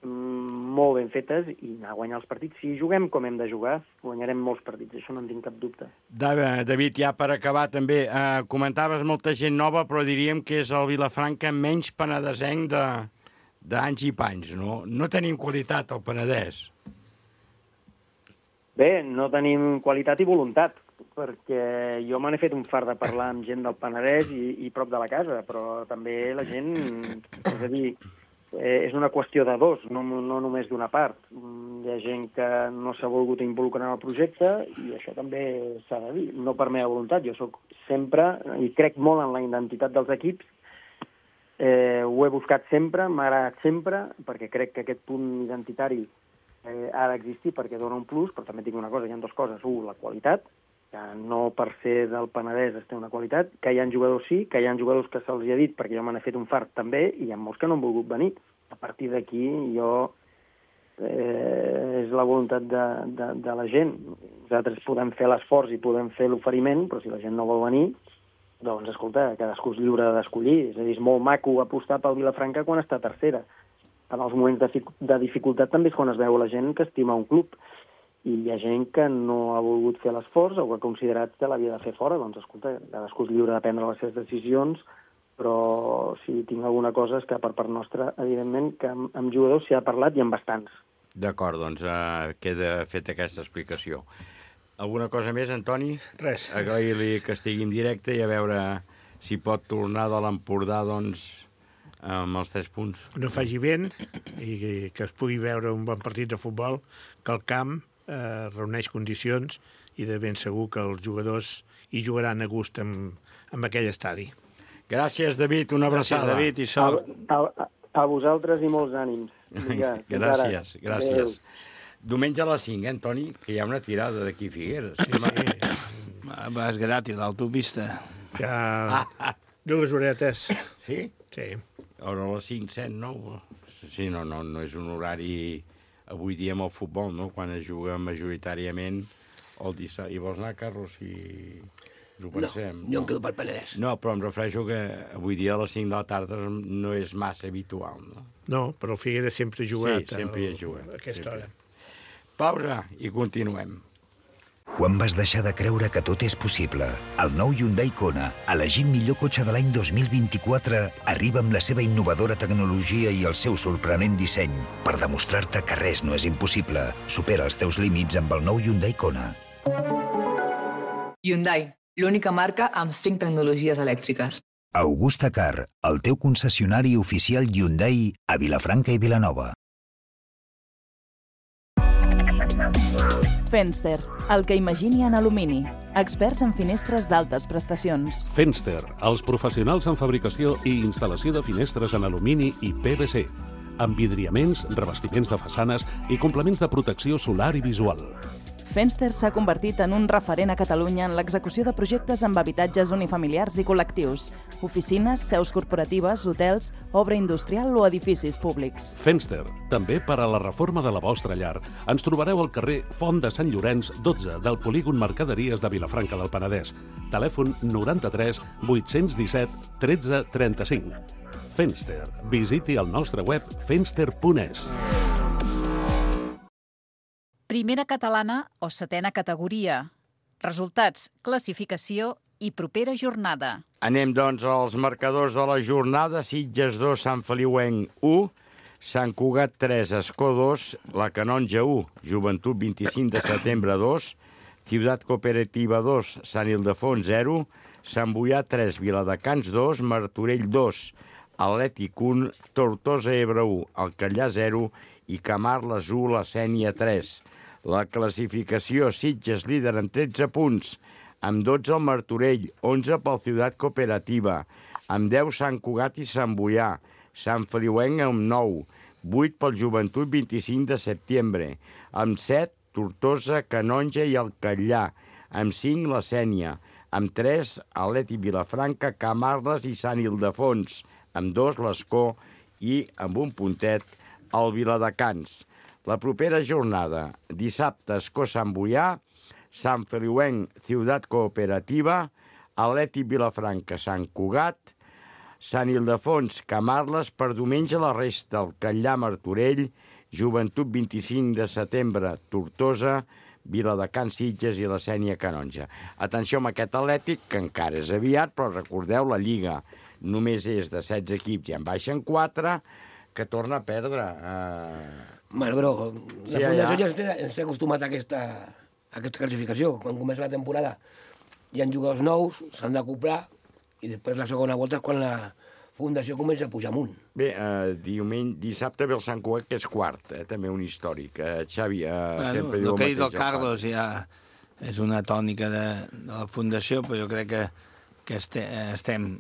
molt ben fetes i anar a guanyar els partits. Si juguem com hem de jugar, guanyarem molts partits, això no en tinc cap dubte. David, ja per acabar també, eh, comentaves molta gent nova, però diríem que és el Vilafranca menys penedesenc de, d'anys i panys, no? No tenim qualitat al Penedès. Bé, no tenim qualitat i voluntat, perquè jo me n'he fet un fart de parlar amb gent del Penedès i, i prop de la casa, però també la gent, és a dir, és una qüestió de dos, no, no només d'una part. Hi ha gent que no s'ha volgut involucrar en el projecte i això també s'ha de dir, no per meva voluntat. Jo sóc sempre, i crec molt en la identitat dels equips, eh, ho he buscat sempre, m'ha agradat sempre, perquè crec que aquest punt identitari eh, ha d'existir perquè dona un plus, però també tinc una cosa, hi ha dues coses. Un, la qualitat, que no per ser del Penedès es té una qualitat, que hi ha jugadors sí, que hi ha jugadors que se'ls ha dit perquè jo me n'he fet un fart també, i hi ha molts que no han volgut venir. A partir d'aquí jo eh, és la voluntat de, de, de la gent. Nosaltres podem fer l'esforç i podem fer l'oferiment, però si la gent no vol venir, doncs escolta, cadascú és lliure d'escollir. És a dir, és molt maco apostar pel Vilafranca quan està tercera. En els moments de, de dificultat també és quan es veu la gent que estima un club. I hi ha gent que no ha volgut fer l'esforç o que ha considerat que l'havia de fer fora. Doncs, escolta, cadascú és lliure de prendre les seves decisions, però si tinc alguna cosa és que per part nostra, evidentment, que amb, amb jugadors s'hi ha parlat i amb bastants. D'acord, doncs uh, queda feta aquesta explicació. Alguna cosa més, Antoni? Res. Agrair-li que estigui en directe i a veure si pot tornar de l'Empordà, doncs, amb els tres punts. No faci vent i que es pugui veure un bon partit de futbol, que el camp eh, reuneix condicions i de ben segur que els jugadors hi jugaran a gust amb, amb aquell estadi. Gràcies, David, una abraçada. Gràcies, David, i sort. A, a, a vosaltres i molts ànims. Vinga, gràcies, gràcies. Adéu. Diumenge a les cinc, eh, Antoni? Que hi ha una tirada d'aquí a Figueres. Sí, sí. Vas gratis, l'autopista. Ja... Dues horetes. Sí? Sí. Ara a les cinc, set, nou? Sí, no, no, no és un horari avui dia amb el futbol, no? Quan es juga majoritàriament el dissabte. I vols anar, Carlos, si us ho pensem? No, jo em quedo pel Penedès. No, però em refereixo que avui dia a les cinc de la tarda no és massa habitual, no? No, però el Figueres sempre ha jugat. Sí, sempre hi ha jugat. A aquesta sempre. hora. Pausa i continuem. Quan vas deixar de creure que tot és possible? El nou Hyundai Kona, elegit millor cotxe de l'any dos mil vint-i-quatre, arriba amb la seva innovadora tecnologia i el seu sorprenent disseny per demostrar-te que res no és impossible. Supera els teus límits amb el nou Hyundai Kona. Hyundai, l'única marca amb cinc tecnologies elèctriques. Augusta Car, el teu concessionari oficial Hyundai a Vilafranca i Vilanova. Fenster, el que imagini en alumini. Experts en finestres d'altes prestacions. Fenster, els professionals en fabricació i instal·lació de finestres en alumini i P V C, amb vidriaments, revestiments de façanes i complements de protecció solar i visual. Fenster s'ha convertit en un referent a Catalunya en l'execució de projectes amb habitatges unifamiliars i col·lectius, oficines, seus corporatives, hotels, obra industrial o edificis públics. Fenster, també per a la reforma de la vostra llar. Ens trobareu al carrer Font de Sant Llorenç, dotze, del polígon Mercaderies de Vilafranca del Penedès. Telèfon noranta-tres vuit-cents disset tretze trenta-cinc. Fenster. Visiti el nostre web fenster punt es. Primera catalana o setena categoria. Resultats, classificació i propera jornada. Anem, doncs, als marcadors de la jornada. Sitges dos, Sant Feliuenc u, Sant Cugat tres, Escó dos, La Canonja u, Joventut vint-i-cinc de setembre dos, Ciutat Cooperativa dos, Sant Ildefons zero, Sant Boià tres, Viladecans dos, Martorell dos, Atlètic un, Tortosa Ebre u, Alcallà zero i Camarles u, La Sénia tres. La classificació: Sitges líder amb tretze punts, amb dotze el Martorell, onze pel Ciutat Cooperativa, amb deu Sant Cugat i Sant Boià, Sant Feliuenc amb nou, vuit pel Joventut vint-i-cinc de setembre, amb set Tortosa, Canonja i el Catllà, amb cinc la Sénia, amb tres Atlètic Vilafranca, Camarles i Sant Ildefons, amb dos l'Escó i amb un puntet el Viladecans. La propera jornada, dissabte Escó Sant Boià, Sant Feliuenc, Ciutat Cooperativa, Atlètic Vilafranca, Sant Cugat, Sant Ildefons, Camarles, per diumenge la resta, el Catllà, Martorell, Joventut vint-i-cinc de setembre, Tortosa, Viladecans, Sitges i la Sénia, Canonja. Atenció amb aquest Atlètic, que encara és aviat, però recordeu, la Lliga només és de setze equips i en baixen quatre, que torna a perdre. Uh... Bueno, però la Sí, Fundació ja. ja ens té, ens té acostumat a aquesta, a aquesta classificació. Quan comença la temporada hi ha jugadors nous, s'han d'acoplar, i després la segona volta és quan la Fundació comença a pujar amunt. Bé, uh, diumenge, dissabte ve el Sant Cugat, que és quart, eh? També un històric. Uh, Xavi, uh, Bueno, sempre el diu el que ha dit mateix. el Carlos ja és una tònica de, de la Fundació, però jo crec que, que este, estem,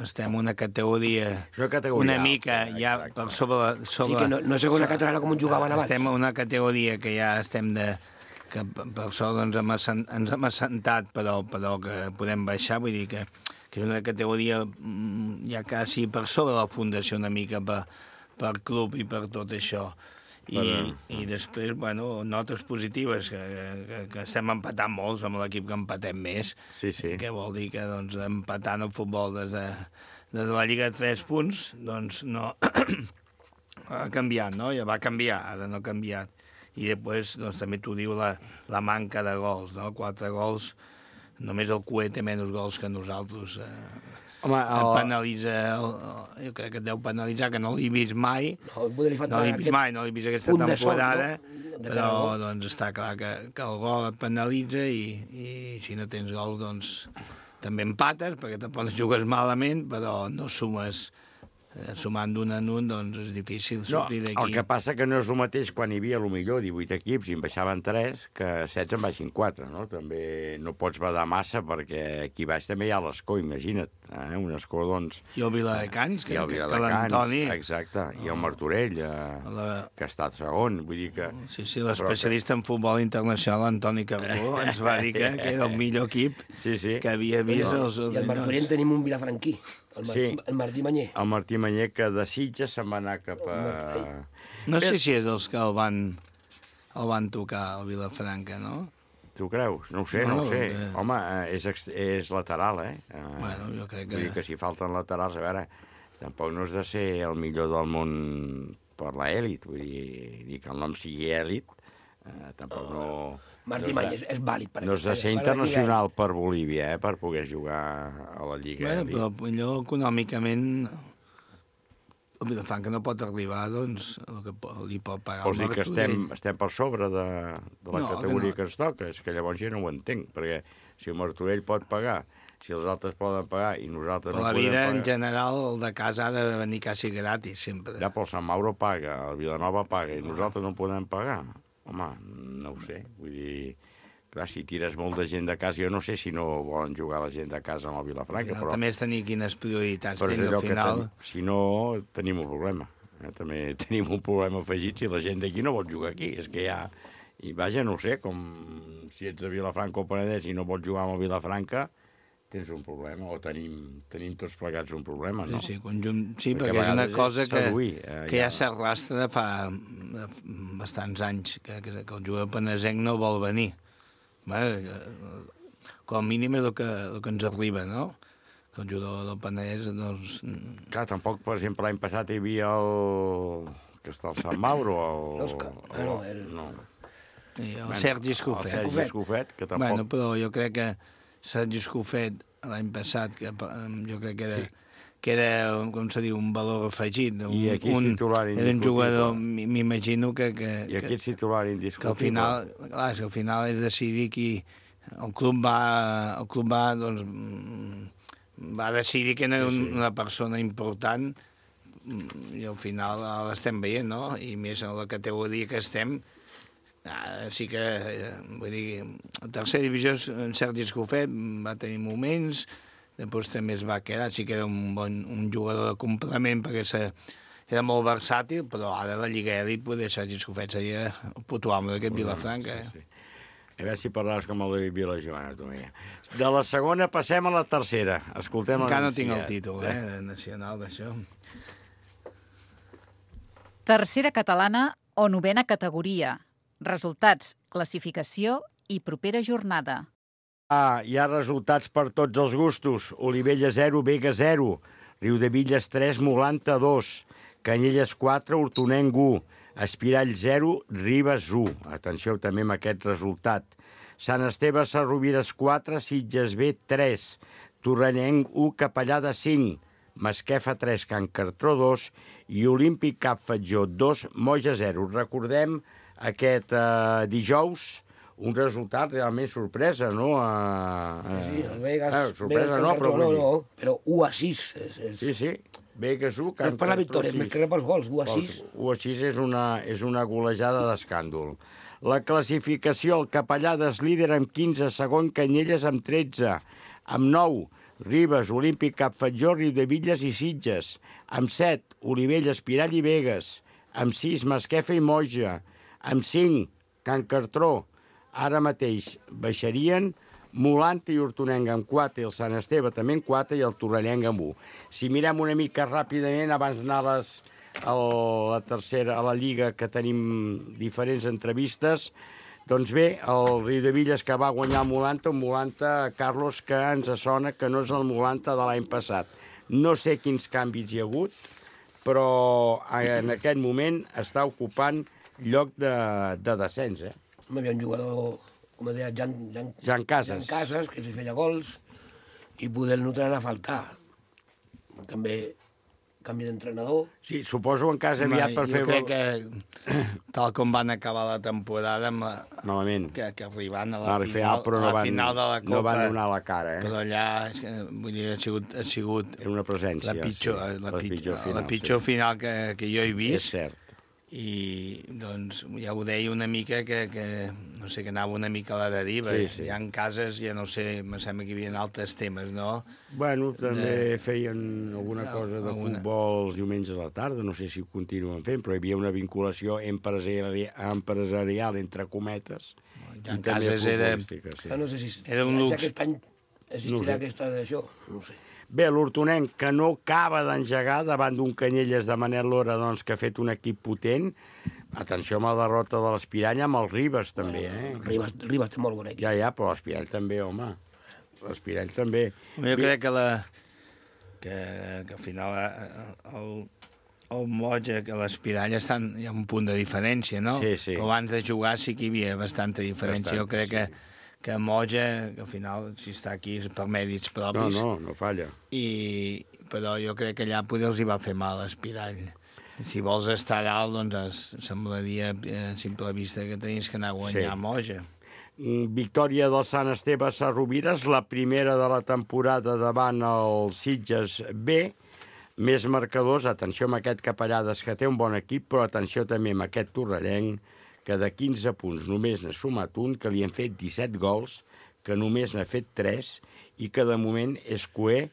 estem una categoria, una, categoria una mica alta, ja exacte. per sobre... sobre Sí, que no, no és segona catalana com ens jugaven abans. Estem en una categoria que ja estem de... que per sort doncs, hem assent, ens hem assentat, però, però que podem baixar, vull dir que, que és una categoria mm, ja quasi per sobre la Fundació una mica per, per club i per tot això. I, Però... i després, bueno, notes positives, que, que, que estem empatant molts amb l'equip que empatem més, sí, sí. que vol dir que doncs, empatant el futbol des de, des de la Lliga de tres punts, doncs no ha canviat, no? Ja va canviar, ara no ha canviat. I després doncs, també t'ho diu la, la manca de gols, no? Quatre gols, només el Cué té menys gols que nosaltres. Eh, Home, el... el... penalitza, el, jo crec que et deu penalitzar, que no l'he vist mai, No, no l'he vist mai, no l'he vist aquesta punt de sol, temporada, no? De però cada gol. doncs, està clar que, que el gol et penalitza i, i si no tens gols doncs també empates, perquè tampoc jugues malament, però no sumes, eh, sumant d'un en un, doncs és difícil sortir no, d'aquí. el que passa que no és el mateix quan hi havia, millor divuit equips i en baixaven tres, que setze en baixin quatre, no? També no pots badar massa, perquè aquí baix també hi ha l'Escó, imagina't, eh? Un Escó, doncs... I el Viladecans, que, I el que, que Viladecans, l'Antoni... exacte, i el Martorell, eh, La... que està segon, vull dir que... Sí, sí, l'especialista en futbol internacional, Antoni Carbó, ens va dir que, que era el millor equip sí, sí. que havia vist No, els... I al Martorell tenim un vilafranquí, el, Mar Sí. el Martí Manyer. El Martí Manyer, que de Sitges se'n va anar cap a... No sé si és dels que el van, el van tocar, el Vilafranca, no? Tu creus? No ho sé, no, No, ho sé. que- Home, eh, és, ex- és lateral, eh? Eh, Bueno, jo crec que... Vull dir que si falten laterals, a veure, tampoc no has de ser el millor del món per l'elit, vull dir, dir que el nom sigui elit, eh, tampoc no... Martí no Manyer has és, de- és vàlid. Per No has de per ser la internacional per Bolívia, eh, per poder jugar a la Lliga Bueno, elit. però millor econòmicament el Vilafranca no pot arribar, doncs, el que po- li pot pagar Vols el dir que Martorell. estem, estem per sobre de, de la No, que categoria no. que, ens toca? És que llavors jo no ho entenc, perquè si el Martorell pot pagar, si els altres poden pagar i nosaltres Però no la podem vida, pagar... en general, el de casa ha de venir quasi gratis, sempre. Ja, però el Sant Mauro paga, el Vilanova paga, i nosaltres no podem pagar. Home, no ho sé, vull dir... Clar, si tires molt de gent de casa, jo no sé si no volen jugar la gent de casa amb el Vilafranca, però... També és tenir quines prioritats però és tens allò al que final. ten... Si no, tenim un problema. Eh? També tenim un problema afegit si la gent d'aquí no vol jugar aquí. És que ja... I vaja, no ho sé, com si ets de Vilafranca o Penedès i no vols jugar amb el Vilafranca, tens un problema, o tenim, tenim tots plegats un problema, no? Sí, sí, conjunt... sí Perquè perquè, a és una vegades cosa és que, seduir, eh, que ja ja- s'arrastra de fa de bastants anys, que, que, que el jugador penesenc no vol venir. Bé, com a mínim és el que, el que ens arriba, no? Que el jugador del Penedès, doncs... Clar, tampoc, per exemple, l'any passat hi havia el... que està al Sant Mauro, el... L'Òscar, ah, no, el- no. I el Bueno, Sergi Escofet. El Sergi Escofet, que tampoc... Bueno, però jo crec que Sergi Escofet l'any passat, que eh, jo crec que era, sí. que era, com se diu, un valor afegit. Un, I aquí és un, titular era un indiscutible. jugador, m- m'imagino que... que I aquí que, ets titular que indiscutible. al final, clar, és que al final és decidir qui... El club va, el club va, doncs, mm, va decidir que era un, Sí, sí. una persona important mm, i al final l'estem veient, no? I més en la categoria que estem, Ara sí que, eh, vull dir, a tercera divisió en Sergi Escofet va tenir moments, després també es va quedar, sí que era un bon un jugador de complement perquè se, era molt versàtil, però ara la Lliga Elit, poder Sergi Escofet seria el puto amo d'aquest Vilafranca. Sí, sí. A veure si parlaves com el de Vilajoana, tu. De la segona passem a la tercera. Escoltem el Encara no tinc el títol, eh, nacional d'això. Tercera catalana o novena categoria. Resultats, classificació i propera jornada. Ah, hi ha resultats per tots els gustos. Olivella zero, Vega zero, Riudevilles tres, Molanta dos, Canyelles quatre, Hortonenc u, Espirall zero, Ribes u. Atenció també amb aquest resultat. Sant Esteve Sarrovires quatre, Sitges B tres, Torrellenc u, Capellada cinc, Masquefa tres, Can Cartró dos i Olímpic Cap Fatjó dos, Moja zero. Recordem aquest eh, dijous un resultat realment sorpresa, no? Uh, sí, sí, el Vegas... Eh, sorpresa Vegas no, però... No, no, però u a sis. És, és... Sí, sí, Vegas u... És per la victòria, més que res pels gols, u a sis. u a sis és una, és una golejada d'escàndol. La classificació, el Capellades líder amb quinze, segon Canyelles amb tretze, amb nou, Ribes, Olímpic, Cap Fatjó, Riudevilles i Sitges, amb set, Olivella, Espirall i Vegas, amb sis, Masquefa i Moja, amb cinc, Can Cartró. Ara mateix baixarien Molanta i Hortonenc amb quatre, i el Sant Esteve també amb quatre i el Torrellenc amb u. Si mirem una mica ràpidament, abans d'anar a, les, a la tercera, a la Lliga, que tenim diferents entrevistes, doncs bé, el Riudevilles que va guanyar el Molanta, un Molanta, Carlos, que ens sona que no és el Molanta de l'any passat. No sé quins canvis hi ha hagut, però en aquest moment està ocupant lloc de, de descens, eh? Hi havia un jugador, com deia, Jan, Jan, Jan Casas. Jan Casas, que si feia gols, i poder no tenen a faltar. També canvi d'entrenador. Sí, suposo en cas aviat per jo fer... Jo crec que, tal com van acabar la temporada, amb la... Malament. Que, que arribant a la, al final, final, però no a la van, final de la Copa... No van donar la cara, eh? Però allà, és que, vull dir, ha sigut... Ha sigut una presència, la pitjor, sí. la, la pitjor, pitjor final, la pitjor sí. final que, que jo he vist. És cert. I, doncs, ja ho deia una mica que, que no sé, que anava una mica a la deriva. Sí, sí. Hi ha cases, ja no sé, me sembla que hi havia altres temes, no? Bueno, també de... feien alguna cosa de alguna... futbol els diumenges a la tarda, no sé si ho continuen fent, però hi havia una vinculació empresarial, empresarial entre cometes. Hi ha cases, era... Sí. Ah, no sé si era un lux. Aquest any existirà no sé. Aquesta d'això, no sé. Bé, l'Hortonenc, que no acaba d'engegar davant d'un Canyelles de Manel Lora, doncs, que ha fet un equip potent. Atenció amb la derrota de l'Espirall, amb el Ribes, també, eh? Ribes, Ribes té molt bon equip. Ja, ja, però l'Espirall també, home. L'Espirall també. Jo crec que, la, que, que al final el, el Moja, que l'Espirall estan, hi ha un punt de diferència, no? Sí, sí. Però abans de jugar sí que hi havia bastanta diferència. Bastant, jo crec sí. que que Moja, que al final, si està aquí, és per mèrits propis. No, no, no falla. I, però jo crec que allà poder els hi va fer mal l'Espirall. Si vols estar dalt, doncs semblaria a simple vista que tenies que anar a guanyar sí. Moja. Victòria del Sant Esteve a Sarrovires, la primera de la temporada davant el Sitges B. Més marcadors, atenció amb aquest Capellades, que té un bon equip, però atenció també amb aquest Torrellenc, que de quinze punts només n'ha sumat un, que li han fet disset gols, que només n'ha fet tres, i que de moment és coer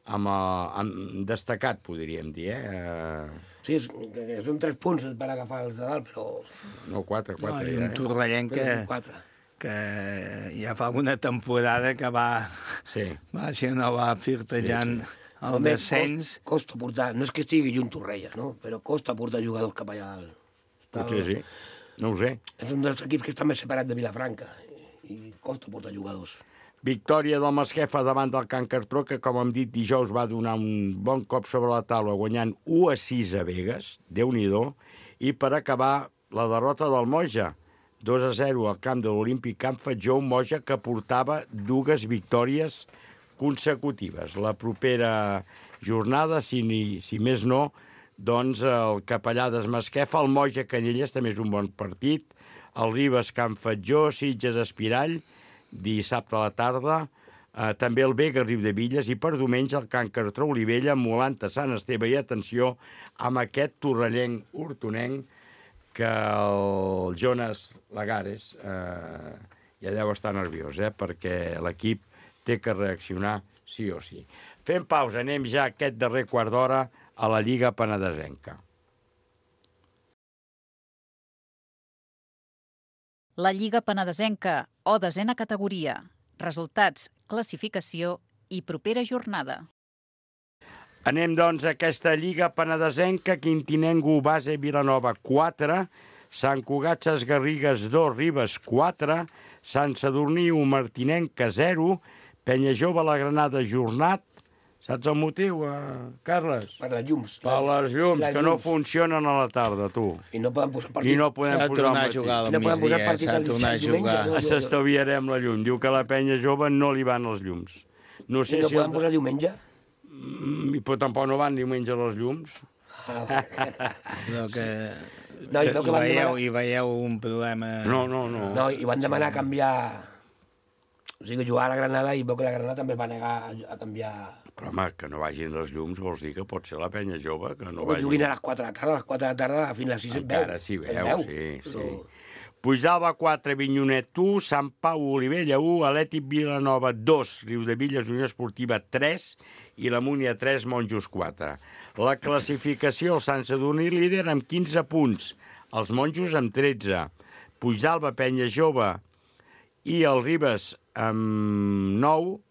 amb, amb destacat, podríem dir, eh? Sí, són tres punts per agafar els de dalt, però... No, quatre, quatre. No, i un ja, Torrellenc que, que ja fa alguna temporada que va... Sí. Va, si no va firtejant... Sí, sí. El descens... Costa portar, no és que estigui lluny Torrelles, no? Però costa portar jugadors cap allà. Potser sí, no ho sé. És un dels equips que està més separat de Vilafranca i costa portar jugadors. Victòria del Masquefa davant del Can Cartró, que, com hem dit, dijous va donar un bon cop sobre la taula, guanyant u a sis a Vegas, Déu-n'hi-do, i per acabar la derrota del Moja, dos a zero al camp de l'Olímpic Camp Fatjó, un Moja que portava dues victòries consecutives. La propera jornada, si, ni, si més no, doncs el Capellades Masquefa, el Moja Canyelles també és un bon partit, el Ribes Camp Fatjó, Sitges Espirall, dissabte a la tarda, eh, també el Vega Riudevilles i per diumenge el Can Cartró Olivella, Molanta Sant Esteve i atenció amb aquest Torrellenc Hortonenc que el Jonas Lagares eh, ja deu estar nerviós, eh, perquè l'equip té que reaccionar sí o sí. Fem pausa, anem ja aquest darrer quart d'hora a la Lliga Penedesenca. La Lliga Penedesenca, o desena categoria. Resultats, classificació i propera jornada. Anem, doncs, a aquesta Lliga Penedesenca, Quintinenc u, Base Vilanova quatre, Sant Cugat Ses Garrigues dos, Ribes quatre, Sant Sadurní u, Martinenca zero, Penya Jove La Granada Jornat. Saps el motiu, eh, Carles? Per les llums. Per les llums, les que no llums. funcionen a la tarda, tu. I no poden posar partit. I no podem posar al matí. I no podem posar partit al diumenge. S'estalviarem la llum. Diu que a la Penya Jove no li van els llums. No sé I no si podem el... posar diumenge? Mm, però tampoc no van diumenge les llums. Però que... No, i no que hi, van veieu, demanar... hi veieu un problema... No, no, no. No, i van demanar a canviar... O sigui, jugar a la Granada i veu que la Granada també va negar a canviar... Però, home, que no vagin les llums vols dir que pot ser la Penya Jove, que no Que vagin... juguin a les quatre de la tarda, a les quatre de la tarda, fins a les sis et veu. Encara s'hi veu, Es veu, sí, però- sí. Puigdàlber quatre, Vinyonet u, Sant Pau Olivella u, Atlètic Vilanova dos, Riudevilles Unió Esportiva tres i la Múnia tres, Monjos quatre. La classificació, el Sant Sadurní líder amb quinze punts, els Monjos amb tretze, Puigdàlber, Penya Jove i el Ribes amb nou,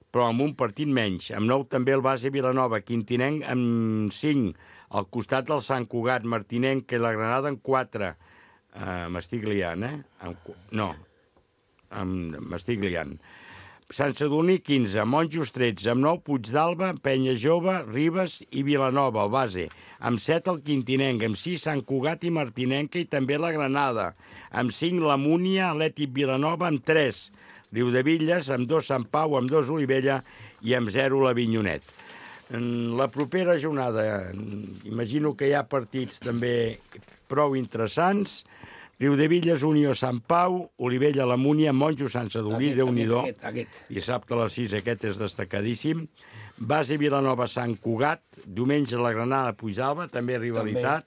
però amb un partit menys. Amb nou també el Base Vilanova, Quintinenc amb cinc, al costat del Sant Cugat, Martinenc i la Granada amb quatre. Uh, m'estic liant, eh? Amb, no, amb, m'estic liant. Sant Sadurní, quinze, Monjos, tretze, amb nou, Puigdàlber, Penya Jove, Ribes i Vilanova, el Base. Amb set, el Quintinenc, amb sis, Sant Cugat i Martinenca i també la Granada. Amb cinc, la Múnia, Atlètic Vilanova, amb tres, Riudevilles, amb dos, Sant Pau, amb dos, Olivella i amb zero, la Vinyonet. En la propera jornada, imagino que hi ha partits també prou interessants. Riudevilles, Unió, Sant Pau, Olivella, la Múnia, Monjos, Sant Sadurní, Déu-n'hi-do. Aquest, aquest. Dissabte a les sis, aquest és destacadíssim. Base Vilanova, Sant Cugat, diumenge la Granada, Puigdàlber, també rivalitat.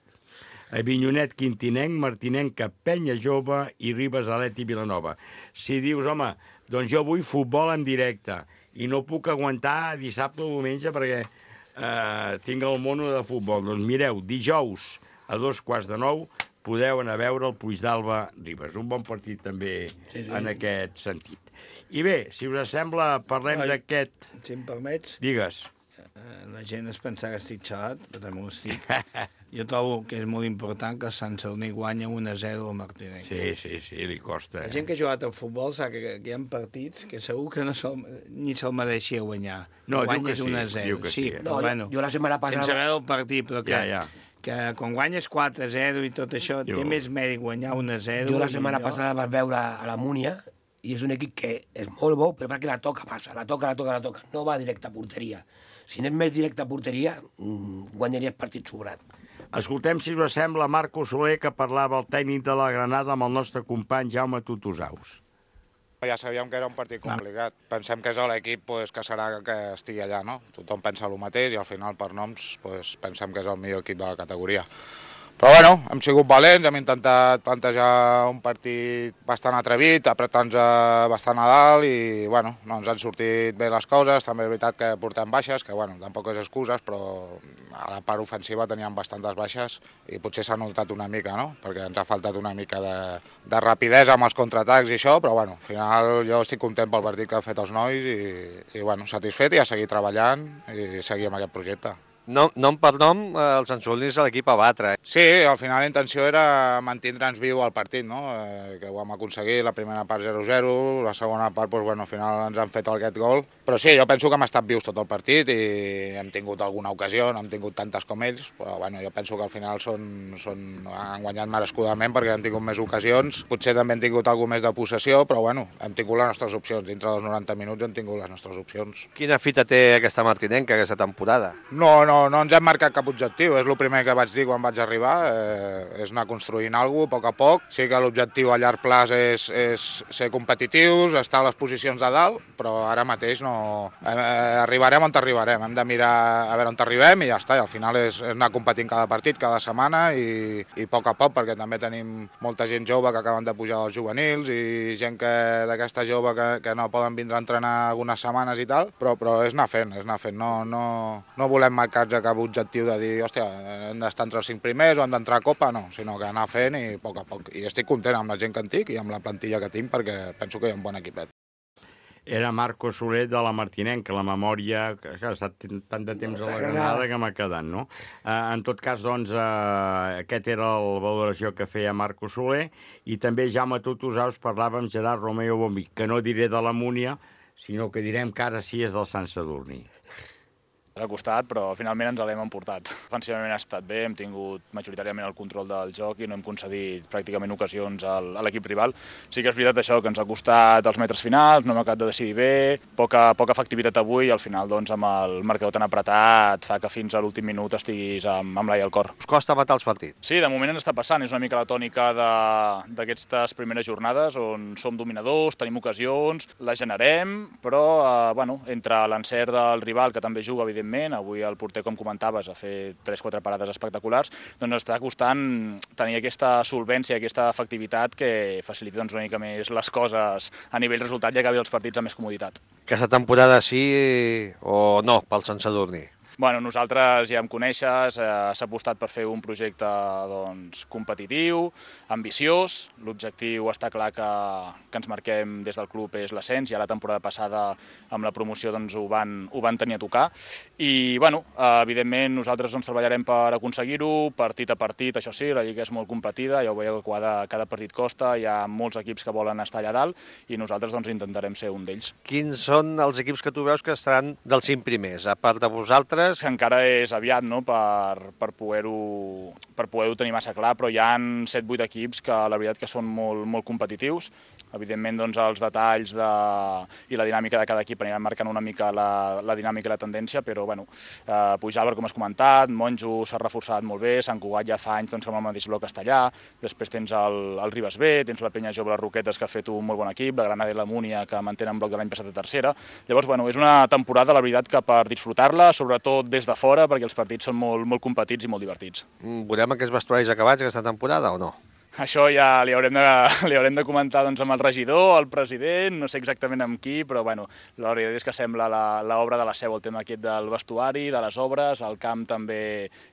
A Vinyonet, Quintinenc, Martinenca, Penya Jove i Ribes, Atlètic Vilanova. Si dius, home, doncs jo vull futbol en directe i no puc aguantar dissabte o diumenge perquè eh, tinc el mono de futbol. Doncs mireu, dijous a dos quarts de nou podeu anar a veure el Puigdàlber Ribes. Un bon partit també sí, sí. en aquest sentit. I bé, si us sembla, parlem d'aquest... Si em permets... Digues. La gent es pensa que estic xalat, però també ho estic. Jo trobo que és molt important que el Sant Sadurní guanya un a zero al Martinenc. Sí, sí, sí, li costa. La gent que ha jugat al futbol sap que, que hi ha partits que segur que no se'l, ni se'l mereixia guanyar. No, diu que guanyes sí, un a zero. diu que sí. sí No, però, bueno, jo la setmana passada... sense veure el partit, però que, Ja, ja. que quan guanyes quatre a zero i tot això, Jo- té més mèrit guanyar un a zero. Jo la setmana i allò- passada vas veure a la Múnia i és un equip que és molt bo, però perquè la toca passa, la toca, la toca, la toca. No va directe a porteria. Si anem més directe a porteria, mm, guanyaries partit sobrat. Escoltem, si us sembla, Marco Soler, que parlava el tècnic de la Granada amb el nostre company Jaume Tutusaus. Ja sabíem que era un partit complicat. Pensem que és l'equip pues, que serà que estigui allà, no? Tothom pensa el mateix i al final, per noms, pues, pensem que és el millor equip de la categoria. Però bueno, hem sigut valents, hem intentat plantejar un partit bastant atrevit, apretar-nos bastant a dalt i bueno, no ens han sortit bé les coses. També és veritat que portem baixes, que bueno, tampoc és excuses, però a la part ofensiva teníem bastantes baixes i potser s'ha notat una mica, no? Perquè ens ha faltat una mica de, de rapidesa amb els contraatacs i això, però bueno, al final jo estic content pel partit que han fet els nois i, i bueno, satisfet i a seguir treballant i seguir amb aquest projecte. Nom, nom per nom, eh, el Sant Sadurní és l'equip a batre. Sí, al final la intenció era mantindre'ns viu al partit, no? Eh, que ho vam aconseguir, la primera part zero zero, la segona part, doncs, bueno, al final ens han fet aquest gol. Però sí, jo penso que hem estat vius tot el partit i hem tingut alguna ocasió, no hem tingut tantes com ells, però bueno, jo penso que al final són, són, han guanyat merescudament perquè han tingut més ocasions. Potser també hem tingut alguna més de possessió, però bueno, hem tingut les nostres opcions. Dintre dels noranta minuts hem tingut les nostres opcions. Quina fita té aquesta martinenca aquesta temporada? No, no, no, no ens hem marcat cap objectiu, és el primer que vaig dir quan vaig arribar, eh, és anar construint alguna cosa a poc a poc. Sí que l'objectiu a llarg plaç és, és ser competitius, estar a les posicions de dalt, però ara mateix no... Eh, arribarem on arribarem, hem de mirar a veure on arribem i ja està, i al final és, és anar competint cada partit, cada setmana i, i a poc a poc, perquè també tenim molta gent jove que acaben de pujar als juvenils i gent que d'aquesta jove que, que no poden vindre a entrenar algunes setmanes i tal, però, però és anar fent, és anar fent, no, no, no volem marcar-nos a cap objectiu de dir, hòstia, hem d'estar entre els cinc primers o hem d'entrar a Copa, no, sinó que anar fent i a poc a poc. I estic content amb la gent que en tinc i amb la plantilla que tinc perquè penso que hi ha un bon equipet. Era Marco Soler de la Martinenca, la memòria, que ha estat tant de temps a la Granada que m'ha quedat, no? Eh, en tot cas, doncs, eh, aquest era la valoració que feia Marco Soler i també Jaume Tutusà us parlava amb Gerard Romeo Bombi, que no diré de la Múnia, sinó que direm que ara sí és del Sant Sadurní. Ha costat, però finalment ens l'hem emportat. Ofensivament ha estat bé, hem tingut majoritàriament el control del joc i no hem concedit pràcticament ocasions al, a l'equip rival. Sí que és veritat això, que ens ha costat els metres finals, no hem acabat de decidir bé, poca, poca efectivitat avui i al final doncs, amb el marcador tan apretat fa que fins a l'últim minut estiguis amb, amb l'ai al cor. Us costa matar els partits? Sí, de moment ens està passant, és una mica la tònica d'aquestes primeres jornades on som dominadors, tenim ocasions, les generem, però eh, bueno, entre l'encert del rival, que també juga, evidentment, avui el porter, com comentaves, ha fet tres quatre parades espectaculars, doncs està costant tenir aquesta solvència, aquesta efectivitat que facilita doncs, una mica més les coses a nivell resultat i acabi els partits amb més comoditat. Aquesta temporada sí o no pel Sant Sadurní? Bueno, nosaltres ja em coneixes, eh, s'ha apostat per fer un projecte doncs, competitiu, ambiciós. L'objectiu està clar que, que ens marquem des del club és l'ascens. Ja la temporada passada amb la promoció doncs, ho, van, ho van tenir a tocar. I, bueno, eh, evidentment, nosaltres doncs, treballarem per aconseguir-ho, partit a partit, això sí, la lliga és molt competida, ja ho veieu que cada, cada partit costa, hi ha molts equips que volen estar allà dalt i nosaltres doncs, intentarem ser un d'ells. Quins són els equips que tu veus que estaran dels cinc primers, a part de vosaltres? Que encara és aviat no? per, per poder-ho per poder-ho tenir massa clar, però hi ha set vuit equips que la veritat que són molt, molt competitius. Evidentment, doncs, els detalls de... i la dinàmica de cada equip aniran marcant una mica la, la dinàmica i la tendència, però bueno, eh, Puigdàlber, com has comentat, Monjo s'ha reforçat molt bé, Sant Cugat ja fa anys doncs, amb el mateix bloc està allà, després tens el, el Ribes B, tens la Penya Jove, les Roquetes, que ha fet un molt bon equip, la Granada i la Múnia, que mantenen bloc de l'any passat a tercera. Llavors, bueno, és una temporada, la veritat, que per disfrutar-la, sobretot des de fora, perquè els partits són molt, molt competits i molt divertits. Veurem aquests vestuaris acabats aquesta temporada o no? Això ja li haurem de, li haurem de comentar doncs, amb el regidor, el president, no sé exactament amb qui, però bueno, la veritat és que sembla l'obra de la seu, el tema aquest del vestuari, de les obres, el camp també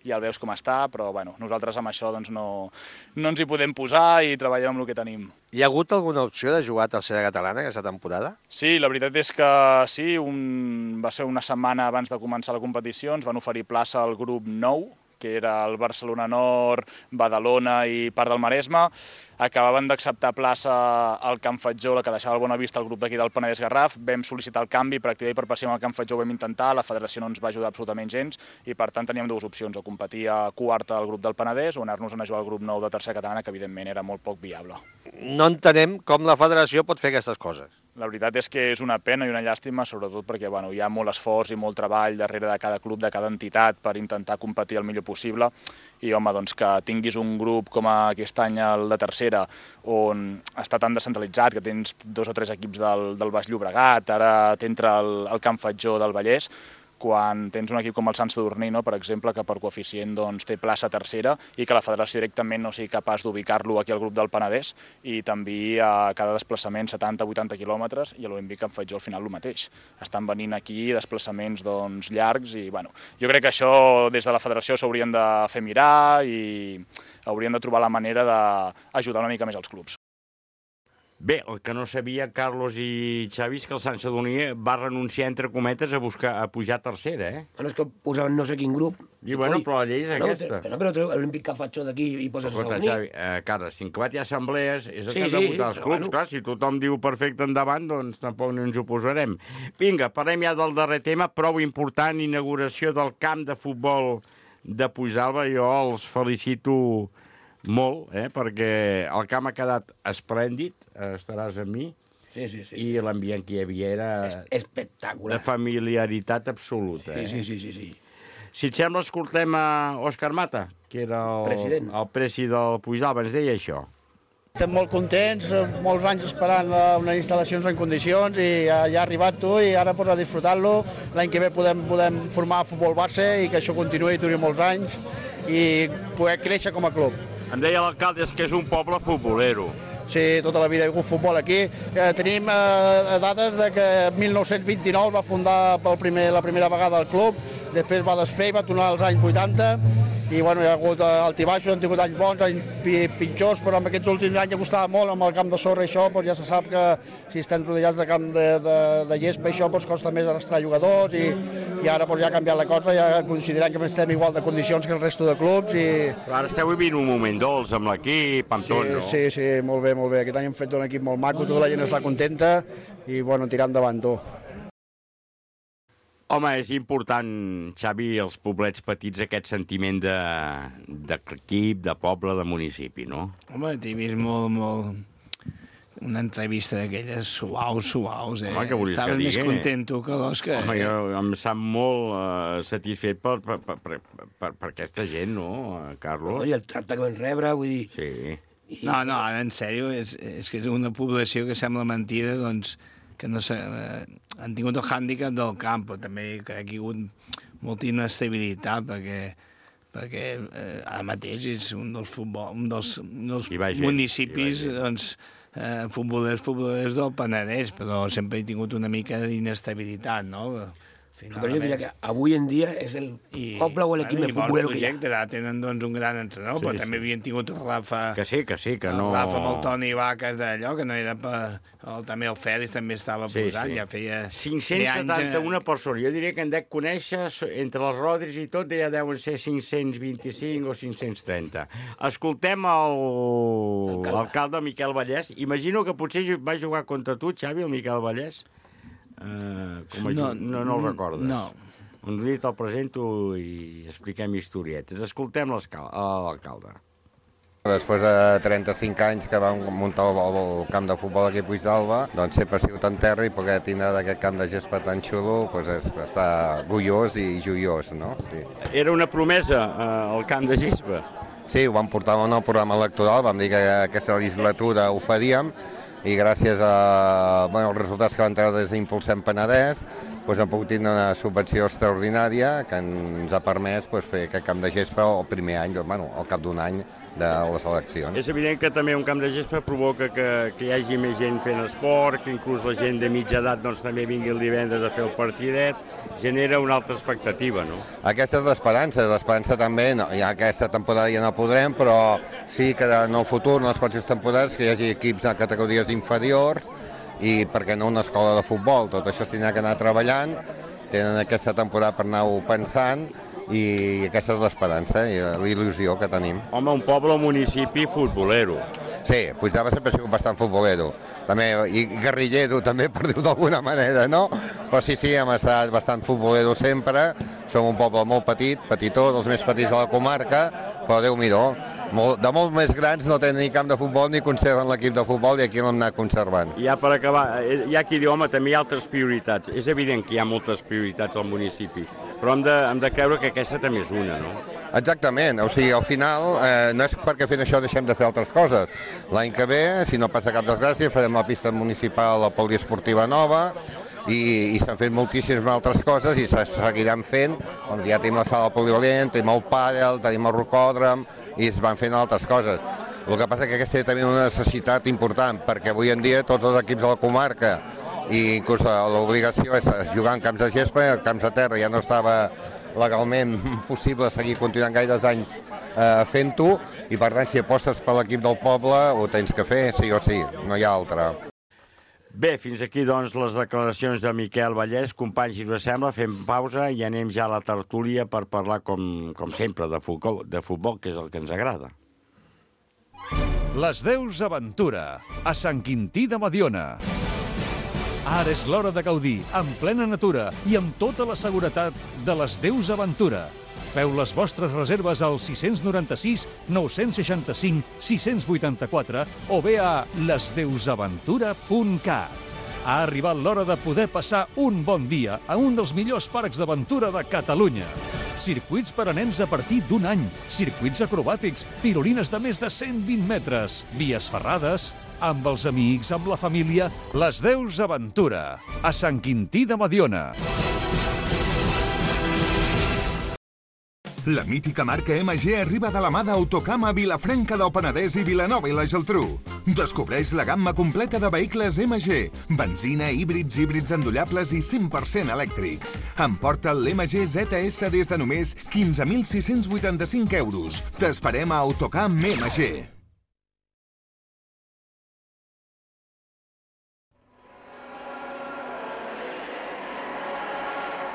ja el veus com està, però bueno, nosaltres amb això doncs, no, no ens hi podem posar i treballem amb el que tenim. Hi ha hagut alguna opció de jugar a tercera catalana aquesta temporada? Sí, la veritat és que sí, un, va ser una setmana abans de començar la competició, ens van oferir plaça al grup nou, que era el Barcelona Nord, Badalona i part del Maresme. Acabaven d'acceptar plaça al Camp Fatjó, la que deixava el Bonavista, el grup d'aquí del Penedès Garraf. Vam sol·licitar el canvi per activar i per passi amb el Camp Fatjó, ho vam intentar, la federació no ens va ajudar absolutament gens i per tant teníem dues opcions, o competir a quarta al grup del Penedès o anar-nos a jugar al grup nou de tercera catalana, que evidentment era molt poc viable. No entenem com la federació pot fer aquestes coses. La veritat és que és una pena i una llàstima, sobretot perquè bueno, hi ha molt esforç i molt treball darrere de cada club, de cada entitat, per intentar competir el millor possible. I, home, doncs que tinguis un grup com aquest any el de tercera, on està tan descentralitzat, que tens dos o tres equips del, del Baix Llobregat, ara t'entra el, el Camp Fatjó del Vallès, quan tens un equip com el Sant Sadurní, no, per exemple, que per coeficient doncs, té plaça tercera i que la federació directament no sigui capaç d'ubicar-lo aquí al grup del Penedès i també a cada desplaçament setanta a vuitanta quilòmetres i a l'O M B que em faig jo al final el mateix. Estan venint aquí desplaçaments doncs, llargs i bueno, jo crec que això des de la federació s'haurien de fer mirar i haurien de trobar la manera d'ajudar una mica més els clubs. Bé, el que no sabia Carlos i Xavi és que el Sant Sadurní va renunciar, entre cometes, a buscar a pujar a tercera, eh? Bueno, és que posaven no sé quin grup. I bueno, però la llei és no, aquesta. No, però l'Olímpic que faig jo d'aquí i poses Escolta, el Sadurní. Xavi, eh, Carles, si en Cabat hi ha assemblees, és el Sí, que han de sí, votar els però clubs. bueno. Clar, si tothom diu perfecte endavant, doncs tampoc no ens oposarem. Vinga, parlem ja del darrer tema, prou important, inauguració del camp de futbol de Puigdàlber. Jo els felicito molt, eh, perquè el camp ha quedat esplèndid, estaràs amb mi, sí, sí, sí. i l'ambient que hi havia era Es espectacular. de familiaritat absoluta. Sí, eh? sí, sí, sí, sí. Si et sembla, escoltem a Òscar Mata, que era el president, el presi del Puigdàlber, ens deia això. Estem molt contents, molts anys esperant unes instal·lacions en condicions i ja, ja ha arribat tu i ara pues, a disfrutar-lo. L'any que ve podem, podem formar futbol base i que això continuï i duri molts anys i poder créixer com a club. Em deia l'alcalde que és un poble futbolero. Sí, tota la vida hi ha hagut futbol aquí. Eh, tenim eh, dades de que mil nou-cents vint-i-nou va fundar pel primer, la primera vegada el club, després va desfer i va tornar als anys vuitanta, i bueno, hi ha hagut eh, altibaixos, han tingut anys bons, anys pitjors, però en aquests últims anys ja costava molt amb el camp de sorra i això, doncs ja se sap que si estem rodejats de camp de, de, de gespa això doncs costa més arrastrar jugadors i, i ara doncs, ja ha canviat la cosa, ja considerem que estem igual de condicions que el resto de clubs. I... Però ara esteu vivint un moment dolç amb l'equip, amb sí, tot, no? Sí, sí, molt bé, molt bé. Aquest any hem fet un equip molt maco, tota la gent està contenta i bueno, tirant endavant tu. Home, és important, Xavi, els poblets petits, aquest sentiment d'equip, de, de poble, de municipi, no? Home, t'he vist molt, molt... Una entrevista d'aquelles suaus, suaus, eh? Home, què volies Estaves que digui? més content tu que l'Òscar. Home, jo em sap molt uh, satisfet per, per, per, per, per, per aquesta gent, no, Carlos? I el tracte que vam rebre, vull dir... Sí. I... No, no, ara, en sèrio, és, és que és una població que sembla mentida, doncs, que no sé, eh, han tingut el hàndicap del camp, però també crec que hi ha hagut molta inestabilitat, perquè perquè eh, ara mateix és un dels, futbol, un dels, un dels municipis, doncs, eh, futbolers, futbolers del Penedès, però sempre he tingut una mica d'inestabilitat, no? Finalment. Però jo diria que avui en dia és el I, poble o l'equip més futbolero que hi ha. Ara tenen doncs, un gran entrenador, sí, però sí. També havien tingut el Rafa... Que sí, que sí, que no... El Rafa amb el Toni Vaques d'allò, que no era per... El, també el Fèlix també estava sí, posat, sí. Ja feia... cinc-cents setanta-una persones, jo diria que en dec conèixer, entre els Rodris i tot, ja deuen ser cinc-cents vint-i-cinc o cinc-cents trenta. Escoltem l'alcalde Miquel Vallès. Imagino que potser va jugar contra tu, Xavi, el Miquel Vallès. Uh, com a no, no, no el recordes? No. Un dia te'l presento i expliquem historietes. Escoltem l'alcalde. Després de trenta-cinc anys que vam muntar el, el camp de futbol aquí a Puigdàlber, doncs sempre ha sigut en terra i poder tindre d'aquest camp de gespa tan xulo, doncs és estar orgullós i joiós, no? Sí. Era una promesa, eh, el camp de gespa. Sí, ho vam portar en el programa electoral, vam dir que aquesta legislatura ho faríem, i gràcies a, bueno, als resultats que van treure des d'Impulsem Penedès doncs hem pogut tenir una subvenció extraordinària que ens ha permès doncs, fer aquest camp de gespa el primer any, bueno, al cap d'un any de les eleccions. És evident que també un camp de gespa provoca que, que hi hagi més gent fent esport, que inclús la gent de mitja edat doncs, també vingui el divendres a fer el partidet, genera una altra expectativa, no? Aquesta és l'esperança, l'esperança també, no, ja aquesta temporada ja no podrem, però sí que en el futur, en les pròximes temporades, que hi hagi equips de categories inferiors i, per què no, una escola de futbol. Tot això s'hi ha que anar treballant, tenen aquesta temporada per anar-ho pensant, i aquesta és l'esperança i l'il·lusió que tenim. Home, un poble o municipi futbolero. Sí, Puigdàlber sempre ha sigut bastant futbolero, també, i guerrillero també, per dir-ho d'alguna manera, no? Però sí, sí, hem estat bastant futbolero sempre, som un poble molt petit, petitó, dels més petits de la comarca, però Déu-m'hi-do, de molt més grans no tenen ni camp de futbol ni conserven l'equip de futbol i aquí l'hem anat conservant. Ja per acabar, hi ha qui diu, home, també hi ha altres prioritats. És evident que hi ha moltes prioritats al municipi, però hem de, hem de creure que aquesta també és una, no? Exactament, o sigui, al final eh, no és perquè fent això deixem de fer altres coses. L'any que ve, si no passa cap desgràcia, farem la pista municipal, la poliesportiva nova, i, i s'han fet moltíssimes altres coses i se seguiran fent, com ja tenim la sala polivalent, tenim el pàdel, tenim el rocòdrom, i es van fent altres coses. El que passa és que aquesta té també una necessitat important, perquè avui en dia tots els equips de la comarca, i inclús l'obligació és jugar en camps de gespa, en camps de terra ja no estava legalment possible seguir continuant gaires anys eh, fent-ho, i per tant si apostes per l'equip del poble ho tens que fer, sí o sí, no hi ha altra. Bé, fins aquí doncs les declaracions de Miquel Vallès. Companys, si us sembla, fem pausa i anem ja a la tertúlia per parlar, com, com sempre, de futbol, de futbol, que és el que ens agrada. Les Deus Aventura, a Sant Quintí de Mediona. Ara és l'hora de gaudir, en plena natura i amb tota la seguretat de les Deus Aventura. Feu les vostres reserves al sis nou sis, nou seixanta cinc, sis vuitanta-quatre o bé a les deus aventura punt cat. Ha arribat l'hora de poder passar un bon dia a un dels millors parcs d'aventura de Catalunya. circuits per a nens a partir d'un any, circuits acrobàtics, tirolines de més de cent vint metres, vies ferrades, amb els amics, amb la família, les Deus Aventura, a Sant Quintí de Mediona. La mítica marca M G arriba de la mà d'Autocam a Vilafranca del Penedès i Vilanova i la Geltrú. Descobreix la gamma completa de vehicles M G, benzina, híbrids, híbrids endollables i cent per cent elèctrics. Emporta l'M G Z S des de només quinze mil sis-cents vuitanta-cinc euros. T'esperem a Autocam M G.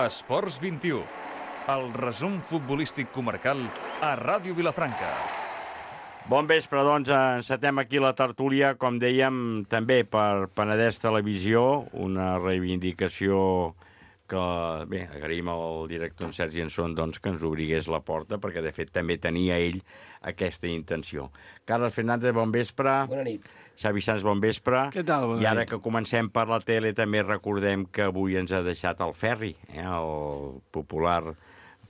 Esports vint-i-u. El resum futbolístic comarcal a Ràdio Vilafranca. Bon vespre, doncs, encetem aquí la tertúlia, com dèiem, també per Penedès Televisió, una reivindicació que, bé, agraïm al director en Sergi Anson doncs, que ens obrigués la porta, perquè de fet també tenia ell aquesta intenció. Carles Fernández, bon vespre. Bona nit. Xavi Sans, bon vespre. Què tal? Bona I ara nit. que comencem per la tele també recordem que avui ens ha deixat el Ferri, eh, el popular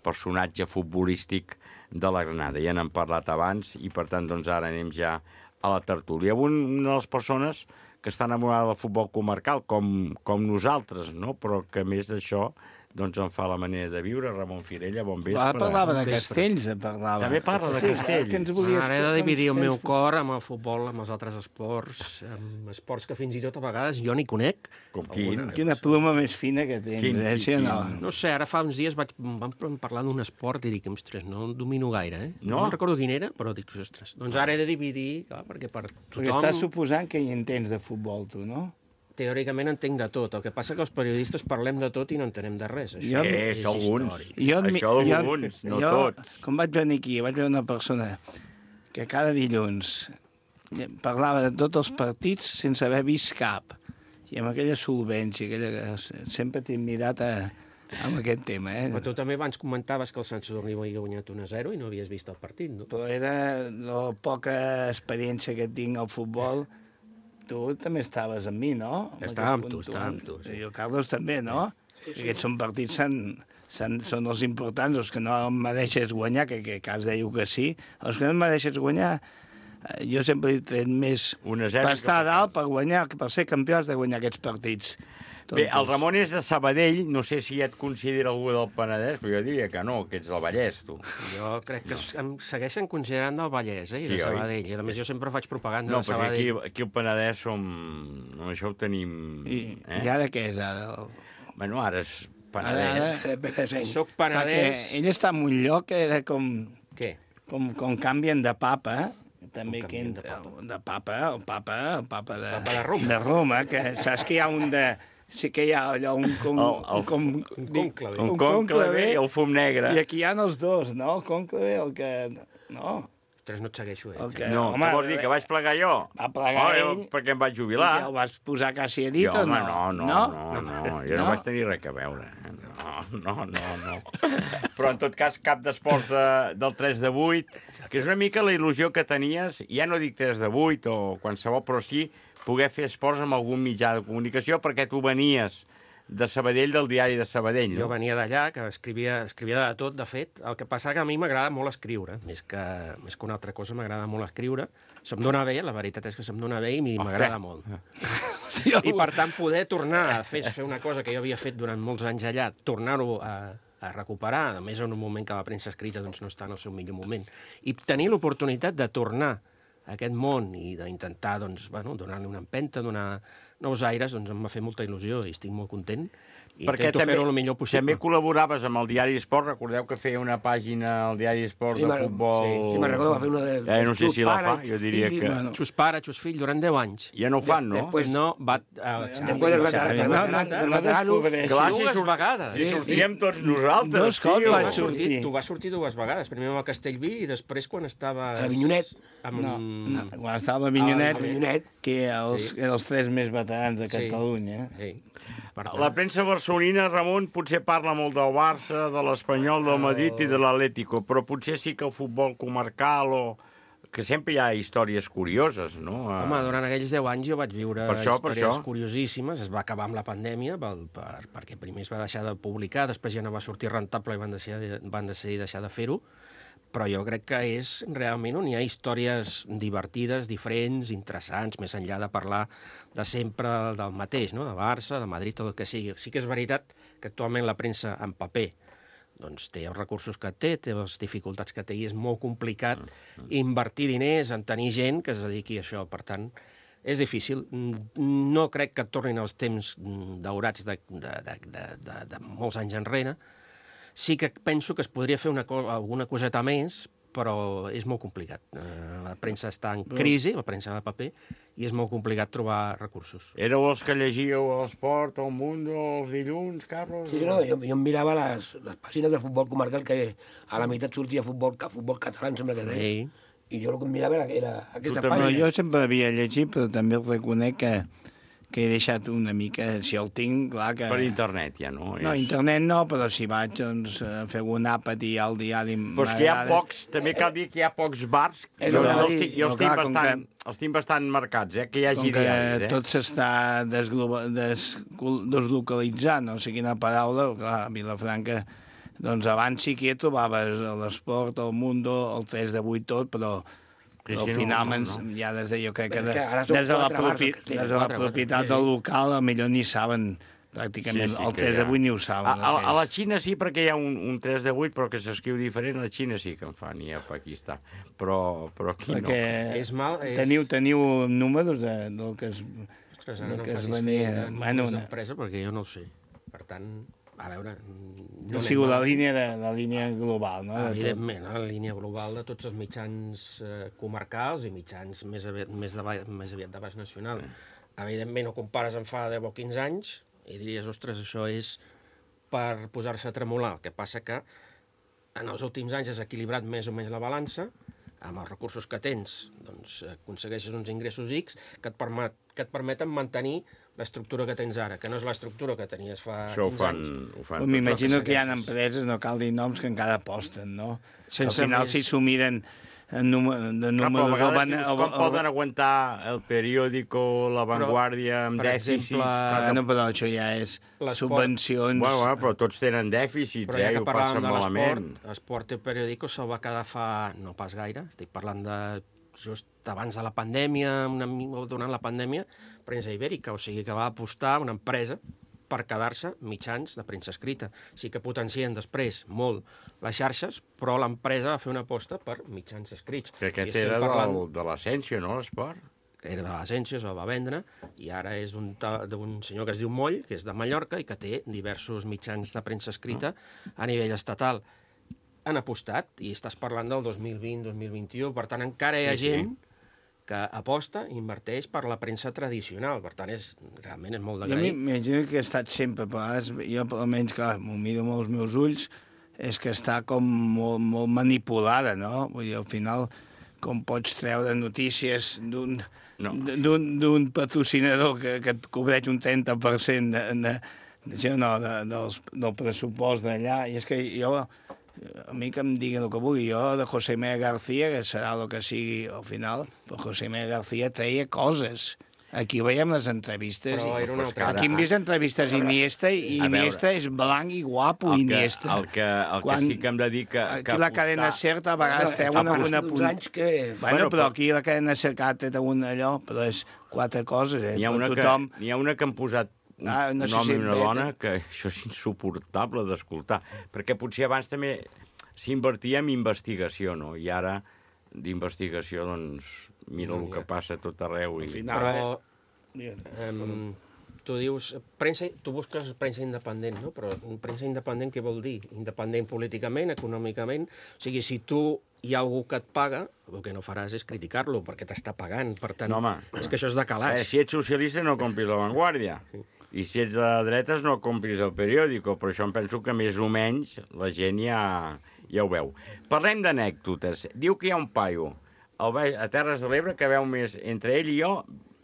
personatge futbolístic de la Granada. Ja n'hem parlat abans i, per tant, doncs ara anem ja a la tertúlia. Avui una de les persones que està enamorada del futbol comarcal, com, com nosaltres, no? Però que, a més d'això, doncs en fa la manera de viure. Ramon Firella, bon vespre. Va, parlava de Castells, parlava. També parla de Sí, Castells. que ens volies- Ara he de dividir el Castells. meu cor amb el futbol, amb els altres esports, amb esports que fins i tot a vegades jo ni conec. Com quin? Quina pluma més fina que tens, Quin, eh? Sí, quin, no. no sé, ara fa uns dies vaig, vam parlar d'un esport i dic, ostres, no el domino gaire, eh? No? No recordo quin era, però dic, ostres, doncs ara he de dividir, clar, perquè per tothom... Perquè estàs suposant que hi entens de futbol, tu, no? Teòricament entenc de tot, el que passa que els periodistes parlem de tot i no entenem de res. Això Jo- és això alguns. històric. Jo, Això jo- alguns, no jo, tots. Com vaig venir aquí, vaig veure una persona que cada dilluns parlava de tots els partits sense haver vist cap. I amb aquella solvència, aquella... sempre t'he mirat a, amb aquest tema. Eh? Però tu també abans comentaves que el Sant Sadurní havia guanyat un a zero i no havies vist el partit, no? Però era la poca experiència que tinc al futbol. Tu també estaves amb mi, no? Estava amb tu, estava amb tu, sí. I el Carlos també, no? Sí, sí. Aquests són partits, són, són, són els importants, els que no em mereixes guanyar, que, que cas dèieu que sí. Els que no em mereixes guanyar, eh, jo sempre he tret més per estar a dalt, per guanyar, per ser campió has de guanyar aquests partits. Bé, el Ramon és de Sabadell, no sé si ja et considera algú del Penedès, però jo diria que no, que ets del Vallès, tu. Jo crec que em segueixen considerant del Vallès, eh, i Sí, de oi? Sabadell. I a més jo sempre faig propaganda No, de però aquí, Sabadell. aquí al Penedès som... No, això ho tenim... I, eh? I ara què és, ara? Bueno, ara és Penedès. Penedès. Soc penedès... Perquè ell està en un lloc que era com... Què? Com, com canvien de papa, també que de papa? de papa, el papa, el papa de, Papa de Roma. de Roma, que saps que hi ha un de... Sí que hi ha allò un... Com, El- el- un, com, un cònclave. Un cònclave i el fum negre. I aquí hi ha els dos, no? El cònclave, el que... No? Ostres, no et segueixo, eh? El que, No, home, què vols dir, que vaig plegar jo? Va plegar oh, ell. Perquè em vaig jubilar. I el vas posar quasi a dit jo, o home, no? no, no, no, no, no, jo no, No? vaig tenir res a veure. No, no, no, no. Però en tot cas, cap d'esports de, del tres de vuit, que és una mica la il·lusió que tenies, ja no dic tres de vuit o qualsevol, però sí poder fer esports amb algun mitjà de comunicació, perquè tu venies de Sabadell, del diari de Sabadell, no? Jo venia d'allà, que escrivia, escrivia de tot, de fet. El que passa que a mi m'agrada molt escriure, més que, més que una altra cosa, m'agrada molt escriure. Se'm dona bé, la veritat és que se'm dona bé i m'agrada molt. I per tant, poder tornar a fer, fer una cosa que jo havia fet durant molts anys allà, tornar-ho a, a recuperar, a més en un moment que la premsa escrita doncs, no està en el seu millor moment, i tenir l'oportunitat de tornar a aquest món i d'intentar doncs, bueno, donar-li una empenta, donar nous aires, doncs em va fer molta il·lusió i estic molt content. I Perquè intento també, fer-ho el millor possible. també col·laboraves amb el Diari Esport, recordeu que feia una pàgina al Diari Esport Sí, de me'n- futbol... sí, sí, me'n recordo, va fer una de- Eh, no sé Xus si la pare, fa, jo diria fill, que... bueno. Xus pare, xus fill, durant deu anys. Ja no ho fan, no? Després no, va... Uh, Després del veterà- del veterà- del veterano... Clar, si dues surt- vegades. si sortíem tots nosaltres, Dos cops tio. vaig Va sortir, sortir. tu vas sortir dues vegades, primer amb el Castellví i després quan estaves... A Avinyonet. Amb... No, no, quan estava a Avinyonet, A Avinyonet. que els, Sí. eren els tres més veterans de Sí. Catalunya. Sí. Per tant, La premsa barcelonina, Ramon, potser parla molt del Barça, de l'Espanyol, del Madrid i de l'Atlético, però potser sí que el futbol comarcal o que sempre hi ha històries curioses, no? Home, durant aquells deu anys jo vaig viure per això, històries per això. curiosíssimes. Es va acabar amb la pandèmia, per, per, perquè primer es va deixar de publicar, després ja no va sortir rentable i van decidir, van decidir deixar de fer-ho, però jo crec que és realment on hi ha històries divertides, diferents, interessants, més enllà de parlar de sempre del mateix, no? De Barça, de Madrid, tot el que sigui. Sí que és veritat que actualment la premsa en paper doncs té els recursos que té, té les dificultats que té, i és molt complicat invertir diners en tenir gent que es dediqui a això. Per tant, és difícil. No crec que tornin els temps daurats de, de, de, de, de, de molts anys enrere. Sí que penso que es podria fer una co alguna coseta més, però és molt complicat. La premsa està en crisi, la premsa de paper, i és molt complicat trobar recursos. Éreu els que llegíeu l'Esport, el Mundo, els dilluns, Carlos? Sí, no, jo, jo em mirava les, les pàgines de futbol comarcal, que a la meitat sortia futbol, futbol català, em sembla que deia. Sí. I jo el que em mirava era, era aquesta pàgina. Jo sempre havia llegit, però també reconec que que he deixat una mica, si el tinc, clar que... Per internet ja, no? No, internet no, però si vaig doncs, a fer un àpat i al diari... Però és que hi ha pocs, també cal dir que hi ha pocs bars, i jo els tinc, jo els tinc, bastant, els tinc bastant marcats, eh, que hi hagi diaris. Com que tot s'està deslocalitzant, no sé quina paraula, clar, a Vilafranca, doncs abans sí que hi trobaves l'Esport, el Mundo, el tres de vuit, tot, però... Però al final, no, no, no. ja des de, jo crec que, de, des de la, propi, des de la propietat del local, millor ni saben, pràcticament, sí, sí, el tres de vuit ni ho saben. A, a, a la Xina sí, perquè hi ha un, un tres de vuit, però que s'escriu diferent, a la Xina sí que en fan, i a Pakistan, però, però aquí perquè no. És mal, és... Teniu, teniu números de, del que es, Ostres, del no que es venia... Bueno, una empresa, perquè jo no ho sé. Per tant... A veure... No ha sigut la línia, de, la línia global, no? Evidentment, la línia global de tots els mitjans eh, comarcals i mitjans més aviat, més, de, més aviat de baix nacional. Evidentment, no compares en fa deu o quinze anys i diries, ostres, això és per posar-se a tremolar. El que passa que en els últims anys has equilibrat més o menys la balança, amb els recursos que tens, doncs aconsegueixes uns ingressos X que et, permet, que et permeten mantenir l'estructura que tens ara, que no és l'estructura que tenies fa Això quinze fan, anys. Ho fan m'imagino que hi ha empreses, no cal dir noms, que encara aposten, no? Sense Al final, més... si s'ho miren en número, de números... Clar, van, el, com el, poden aguantar el periòdico, La Vanguardia, amb dèficits? Exemple, bueno, però això ja és subvencions... Bueno, bueno, però tots tenen dèficits, però ja eh, que ho passen malament. L'esport i periòdico se'l va quedar fa... no pas gaire, estic parlant de just abans de la pandèmia, una, durant la pandèmia, premsa ibèrica, o sigui que va apostar una empresa per quedar-se mitjans de premsa escrita. Sí que potencien després molt les xarxes, però l'empresa va fer una aposta per mitjans escrits. Que aquest era parlant... del, de l'Essència, no, l'esport? Era de l'Essència, se'l va vendre, i ara és d'un senyor que es diu Moll, que és de Mallorca, i que té diversos mitjans de premsa escrita ah. a nivell estatal. Han apostat, i estàs parlant del dos mil vint dos mil vint-i-u, per tant encara hi ha sí, gent sí. que aposta i inverteix per la premsa tradicional, per tant és, realment és molt d'agrair. Jo m'imagino que ha estat sempre, però jo almenys, clar, m'ho miro amb els meus ulls, és que està com molt, molt manipulada, no? Vull dir, al final, com pots treure notícies d'un no. d'un patrocinador que, que et cobreix un trenta per cent de, de, de, no, de, dels, del pressupost d'allà, i és que jo... A mi que em diguin el que vulgui, jo de José Miguel García, que serà el que sigui al final, però José Miguel García treia coses. Aquí veiem les entrevistes. I... Aquí hem vist entrevistes Iniesta, i Iniesta és blanc i guapo, el Iniesta. Que, el que, el Quan... que sí que hem de dir que... Aquí la cadena SER a vegades té una... una punt... que... Bueno, però aquí la cadena SER té un allò, però és quatre coses, eh? N'hi ha, tothom... ha una que han posat un, ah, no un home i una dona, que això és insuportable d'escoltar, perquè potser abans també s'invertia en investigació, no? I ara d'investigació, doncs, mira el que passa a tot arreu. I... Però, um, tu dius, premsa, tu busques premsa independent, no? Però premsa independent què vol dir? Independent políticament, econòmicament? O sigui, si tu hi ha algú que et paga, el que no faràs és criticar-lo, perquè t'està pagant. Per tant, no, home, és que això és de calaix. Eh, si ets socialista no compris La Vanguardia. Sí. I si ets de dretes no compris el periòdico, però això em penso que més o menys la gent ja, ja ho veu. Parlem d'anècdotes. Diu que hi ha un paio a Terres de l'Ebre que veu més, entre ell i jo,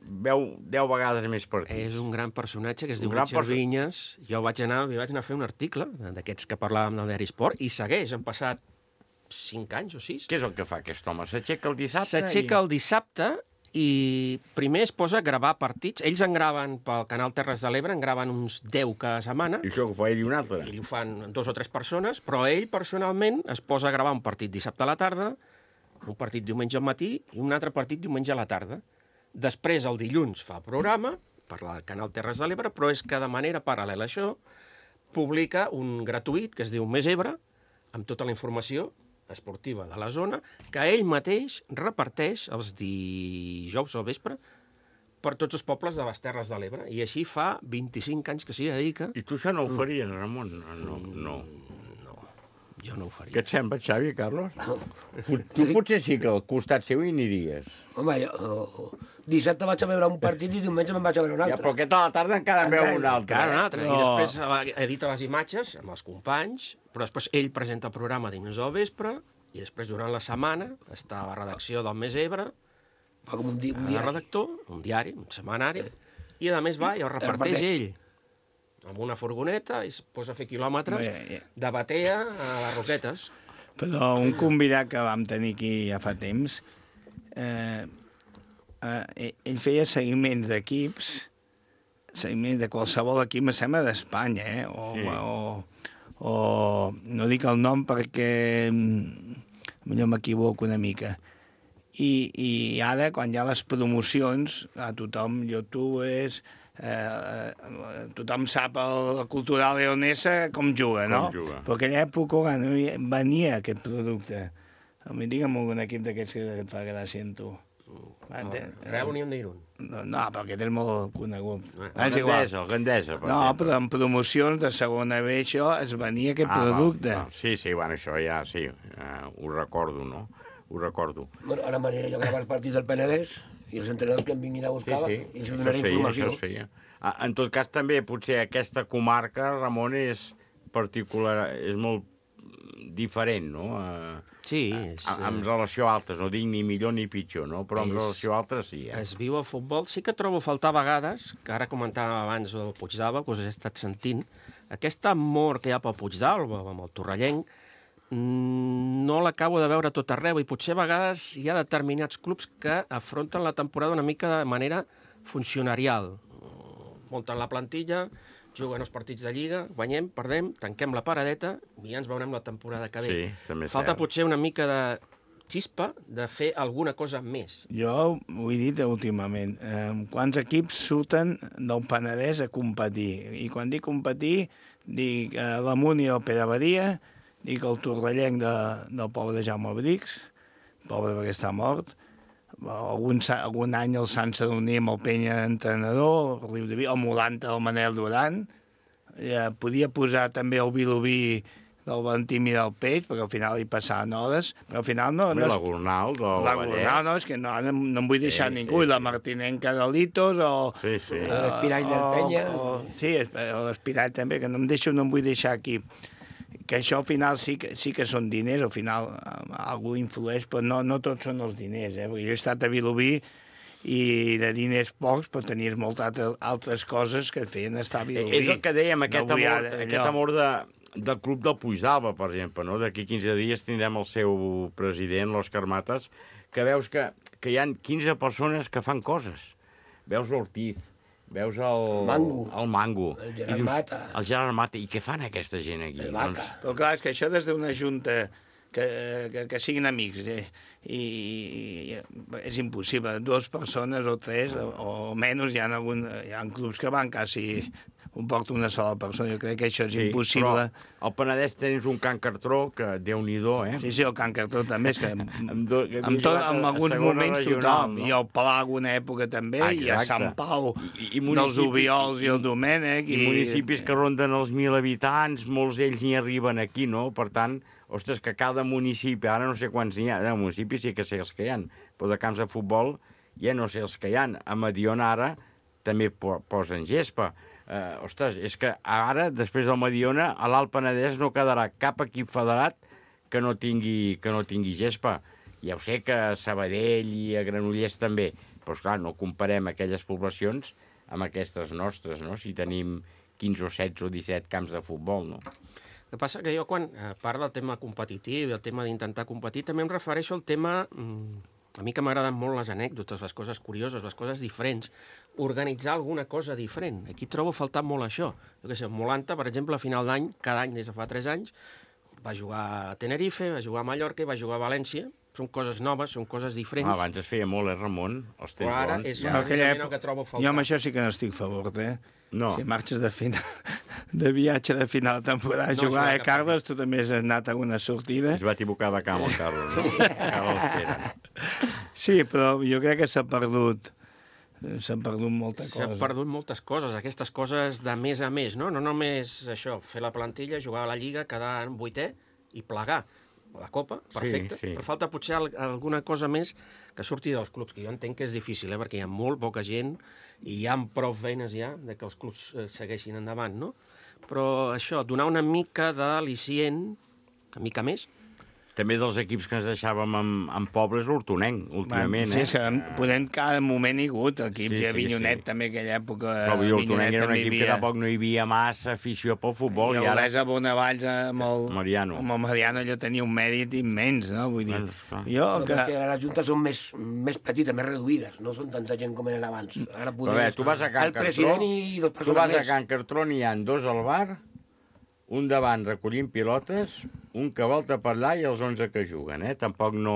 veu deu vegades més partits. És un gran personatge que es diu Richard perso... Vinyes. Jo vaig anar, vaig anar a fer un article d'aquests que parlàvem del diari Esport, i segueix, han passat cinc anys o sis. Què és el que fa aquest home? S'aixeca el dissabte? S'aixeca el dissabte i primer es posa a gravar partits. Ells en graven pel canal Terres de l'Ebre, en graven uns deu cada setmana. I això ho fa ell i un altre? Ell ho fan dos o tres persones, però ell personalment es posa a gravar un partit dissabte a la tarda, un partit diumenge al matí i un altre partit diumenge a la tarda. Després, el dilluns, fa programa per al canal Terres de l'Ebre, però és que de manera paral·lela a això publica un gratuït que es diu Més Ebre, amb tota la informació esportiva de la zona, que ell mateix reparteix els dijous al vespre per tots els pobles de les Terres de l'Ebre. I així fa vint-i-cinc anys que s'hi dedica. I tu això no ho faries, Ramon? No, no. No, jo no ho faria. Què et sembla, Xavi, Carlos? Tu potser sí que al costat seu hi aniries. Home, jo... Dissabte vaig a veure un partit i diumenge me'n vaig a veure un altre. Ja, però aquest a la tarda encara en veu un altre. Encara un altre. I després edita les imatges amb els companys, però després ell presenta el programa dimecres al vespre i després durant la setmana està a la redacció del Més Ebre, fa com un, di un diari. redactor, un diari, un setmanari, i a més va i el reparteix ell amb una furgoneta i es posa a fer quilòmetres yeah, yeah. de Batea a les Roquetes. Però un convidat que vam tenir aquí ja fa temps, eh, eh, ell feia seguiments d'equips, seguiments de qualsevol equip, me sembla d'Espanya, eh? O, sí. o, o no dic el nom perquè millor m'equivoco una mica. I, I ara, quan hi ha les promocions, a tothom, youtubers, eh, tothom sap el, la cultura leonesa com juga, no? Com juga. Però en aquella època quan venia aquest producte. A mi digue'm algun equip d'aquests que et fa gràcia en tu. No, Real Unión d'Irún. No, no, però aquest és molt conegut. El Gandesa, el Gandesa. No, però en promocions de segona B això es venia aquest ah, producte. No, no. Sí, sí, bueno, això ja sí, uh, ho recordo, no? Ho recordo. Bueno, ara m'aniré jo a gravar els partits del Penedès i els entrenadors que em vinguin a buscar sí, sí. i els donaré informació. Això es feia. Ah, en tot cas, també, potser aquesta comarca, Ramon, és particular, és molt diferent, no? Uh, sí. És, uh, en relació a altres, no dic ni millor ni pitjor, no? Però en és, relació a altres sí. Eh? Es viu el futbol. Sí que trobo a faltar a vegades, que ara comentàvem abans del Puigdàlber, que us he estat sentint, aquest amor que hi ha pel Puigdàlber, amb el torrellenc, no l'acabo de veure tot arreu i potser a vegades hi ha determinats clubs que afronten la temporada una mica de manera funcionarial. Munten la plantilla, juguen els partits de Lliga, guanyem, perdem, tanquem la paradeta i ja ens veurem la temporada que ve. Sí, també Falta cert. potser una mica de xispa de fer alguna cosa més. Jo ho he dit últimament. Eh, quants equips surten del Penedès a competir? I quan dic competir, dic eh, l'Amunt i el Pere Badia, dic el torrellenc de, del pobre Jaume Brix, pobre perquè està mort, algun, algun any el Sant Sadurní amb el Penya entrenador, el Riu de Vi, el Molanta, el Manel Duran, ja, podia posar també el Vilobí del Valentí Miralpeix, perquè al final hi passaven hores, però al final no... Home, no la Gornal, del La Gornal, no, és que no, no, no em vull deixar sí, ningú, sí, la Martinenca de Litos, o... Sí, sí. Uh, l'Espirall del Penya. O, sí, l'Espirall també, que no em deixo, no em vull deixar aquí. Que això al final sí que, sí que són diners, al final algú influeix, però no, no tots són els diners, eh? Perquè jo he estat a Vilobí i de diners pocs, però tenies moltes altres coses que et feien estar a Vilobí. És el que dèiem, aquest no amor, ara, aquest amor de, del club del Puigdàlber, per exemple, no? D'aquí quinze dies tindrem el seu president, l'Òscar Matas, que veus que, que hi ha quinze persones que fan coses. Veus l'Ortiz, veus el... El Mango. El Mango. El Gerard dius, Mata. El Gerard Mata. I què fan aquesta gent aquí? El Vaca. Doncs... Però clar, és que això des d'una junta que, que, que siguin amics, eh? I, i és impossible. Dues persones o tres, o, o menys, hi ha, algun, hi ha clubs que van quasi ho porta una sola persona. Jo crec que això és sí, impossible. Però al Penedès tens un Can Cartró que, Déu-n'hi-do, eh? Sí, sí, el Can Cartró també, és que amb, amb, do, que amb, tot, amb alguns moments regional, tothom, no? i el Palau una època també, ah, i a Sant Pau, I, i dels Ubiols i el Domènec. I, i municipis que ronden els mil habitants, molts d'ells n'hi arriben aquí, no? Per tant, ostres, que cada municipi, ara no sé quants n'hi ha, de municipis sí que sé els que hi ha, però de camps de futbol ja no sé els que hi ha. A Mediona ara també po posen gespa. Uh, ostres, és que ara, després del Mediona, a l'Alt Penedès no quedarà cap equip federat que no tingui, que no tingui gespa. Ja ho sé que a Sabadell i a Granollers també, però esclar, no comparem aquelles poblacions amb aquestes nostres, no? Si tenim quinze o setze o disset camps de futbol, no? El que passa que jo, quan a part del tema competitiu i el tema d'intentar competir, també em refereixo al tema... A mi que m'agraden molt les anècdotes, les coses curioses, les coses diferents, organitzar alguna cosa diferent. Aquí trobo a faltar molt això. Jo què sé, Molanta, per exemple, a final d'any, cada any des de fa tres anys, va jugar a Tenerife, va jugar a Mallorca i va jugar a València. Són coses noves, són coses diferents. Ah, abans es feia molt, eh, Ramon? Els temps Però ara bons. és precisament el que trobo a faltar. Jo amb això sí que no estic a favor, eh? No. Si marxes de final, de viatge de final de temporada a No, jugar, això eh, Carles? Tu també has anat a alguna sortida. Es va equivocar de camp, el Carles, no? Carles Pere. Sí, però jo crec que s'ha perdut s'ha perdut molta cosa. S'ha perdut moltes coses, aquestes coses de més a més, no? No només això, fer la plantilla, jugar a la Lliga, quedar en vuitè i plegar. La Copa, perfecte, Sí, sí. però falta potser alguna cosa més que surti dels clubs, que jo entenc que és difícil, eh? Perquè hi ha molt poca gent i hi ha prou feines ja de que els clubs eh, segueixin endavant, no? Però això, donar una mica d'al·licient, una mica més. També dels equips que ens deixàvem amb, amb pobles, l'Hortonenc, últimament, sí, eh? és que podem cada moment hi ha hagut equips, Sí, sí, sí, Avinyonet sí. també aquella època. Però vull dir, l'Hortonenc era un també hi equip que havia- tampoc no hi havia massa afició pel futbol. I I ara... Olesa Bonavalls amb el Mariano. Amb el Mariano allò tenia un mèrit immens, no? Vull dir, Bueno, jo No, que... perquè ara les juntes són més, més petites, més reduïdes, no són tanta gent com eren abans. Ara Però bé, tu vas a Can el Cartró, president i dos tu persones vas a més. Can Cartró, n'hi ha dos al bar, un davant recollint pilotes, un que volta per allà i els onze que juguen, eh? Tampoc no,